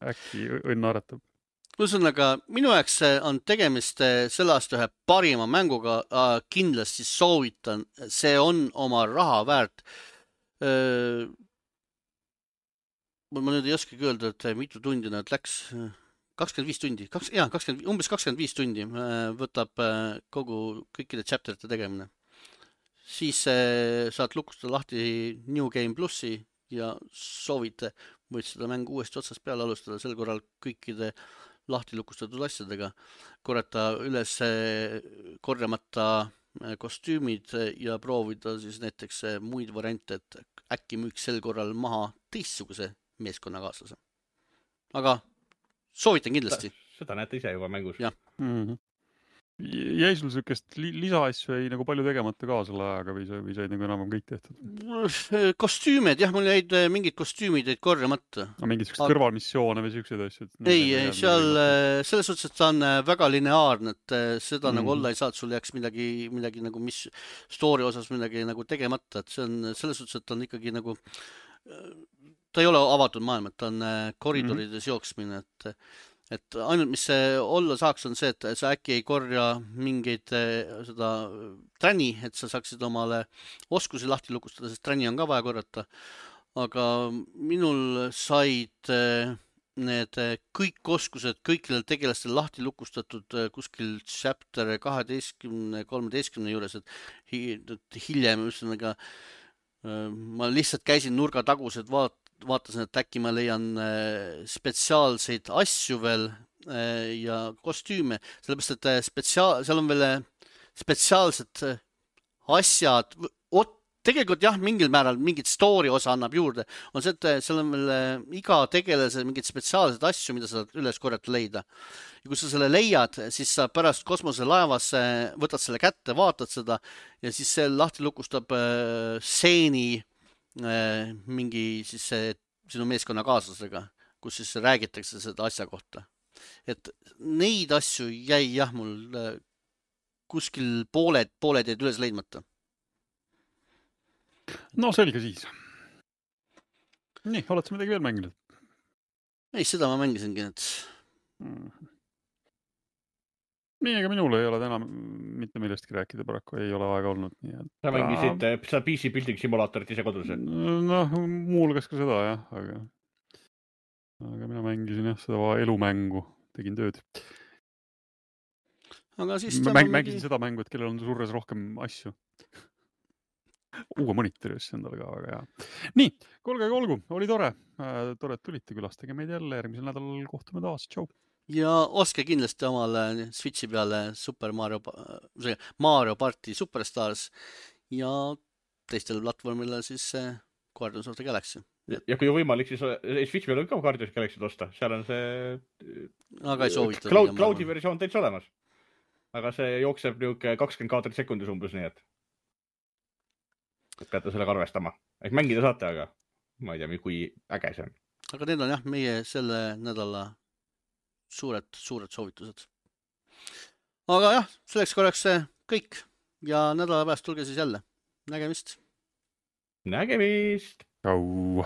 Äkki õnn aretab. Ühesõnaga, minu jaoks on tegemist selle aasta ühe parima mänguga, kindlasti soovitan, see on oma raha väärt. Ma nüüd ei oskagi öelda, et mitu tundi nad läks. kakskümmend viis tundi, kaks, jah, kakskümmend, umbes kakskümmend viis tundi võtab kogu kõikide chapterite tegemine. Siis saad lukustada lahti New Game Plussi ja soovite, võid seda mängu uuesti otsast peale alustada, sel korral kõikide lahti lukustatud asjadega, korrata üles korjamata kostüümid ja proovida siis näiteks muid variante, et äkki müüks sel korral maha teistsuguse meeskonnakaaslase. Aga soovitan kindlasti. Seda näete ise juba mängus. Jah. Mm-hmm. Jäi sul sellist lisaasju ei nagu palju tegemata ka selle ajaga või, või said nagu enam kõik tehtud? Kostüümid, jah, mul jäid mingid kostüümid jäid korjamata. No, mingid Aga... kõrvalmissioone või sellised asjad? Ei, ei seal selles suhtes, et ta on väga lineaarne, et seda mm. nagu olla ei saa, et sul jääks midagi, midagi nagu mis story osas midagi nagu tegemata, et see on selles suhtes, et ta on ikkagi nagu ta ei ole avatud maailm, et ta on koridorides mm-hmm. jooksmine, et, et ainult mis see olla saaks on see, et sa äkki ei korja mingeid seda träni, et sa saaksid omale oskusi lahti lukustada, sest träni on ka vaja korrata. Aga minul said need kõik oskused kõikidel tegelastel lahti lukustatud kuskil chapter kaheteistkümne kolmeteistkümne juures, et hiljem ühesõnaga ma lihtsalt käisin nurga tagused vaat vaatasin, et äkki ma leian spetsiaalseid asju veel ja kostüüme, sellepärast, et spetsiaal, seal on veel spetsiaalsed asjad, tegelikult jah, mingil määral mingit story osa annab juurde. On see, et seal on veel iga tegelase mingid spetsiaalsed asju, mida sa üles korjata leida. Ja kui sa selle leiad, siis sa pärast kosmoselaevas võtad selle kätte, vaatad seda ja siis see lahti lukustab seeni mingi siis see, sinu meeskonna kaaslasega, kus siis räägitakse seda asja kohta. Et neid asju jäi jah mul kuskil pooled, pooled jäid üles leidmata. No selge siis. Nii, oled sa midagi veel mänginud? Ei, seda ma mängisingi, et... Mm. Nii, ega minul ei ole täna mitte millestki rääkida, paraku ei ole aega olnud. Nii et... Sa mängisid seda P C building simulaatorit ise kodus? Noh, muulgas ka seda, jah, aga... Aga mina mängisin jah, seda elumängu, tegin tööd. Aga siis... Mäng, mängisin seda mängu, et kellel on surres rohkem asju. Uue monitori just endale ka, aga jah. Nii, kolge olgu, oli tore. Tore, et tulite külastage meid jälle. Järgmisel nädalal kohtume taas. Tšau. Ja ostke kindlasti omale Switchi peale Super Mario, Mario Party Superstars ja teistel platvormile siis Guardians of the Galaxy. Ja kui on võimalik, siis Switch peal on ka Guardians of the Galaxy osta. Seal on see aga ei soovita. Cloud, Cloudi versioon täitsa olemas. Aga see jookseb niuke kakskümmend kaadrit sekundis umbes, nii et peate sellega arvestama. Ehk mängida saate, aga ma ei tea, kui äge see on. Aga need on jah, meie selle nädala suured, suured soovitused. Aga jah, selleks korraks kõik ja nädala pärast tulge siis jälle. Nägemist! Nägemist! Tšau!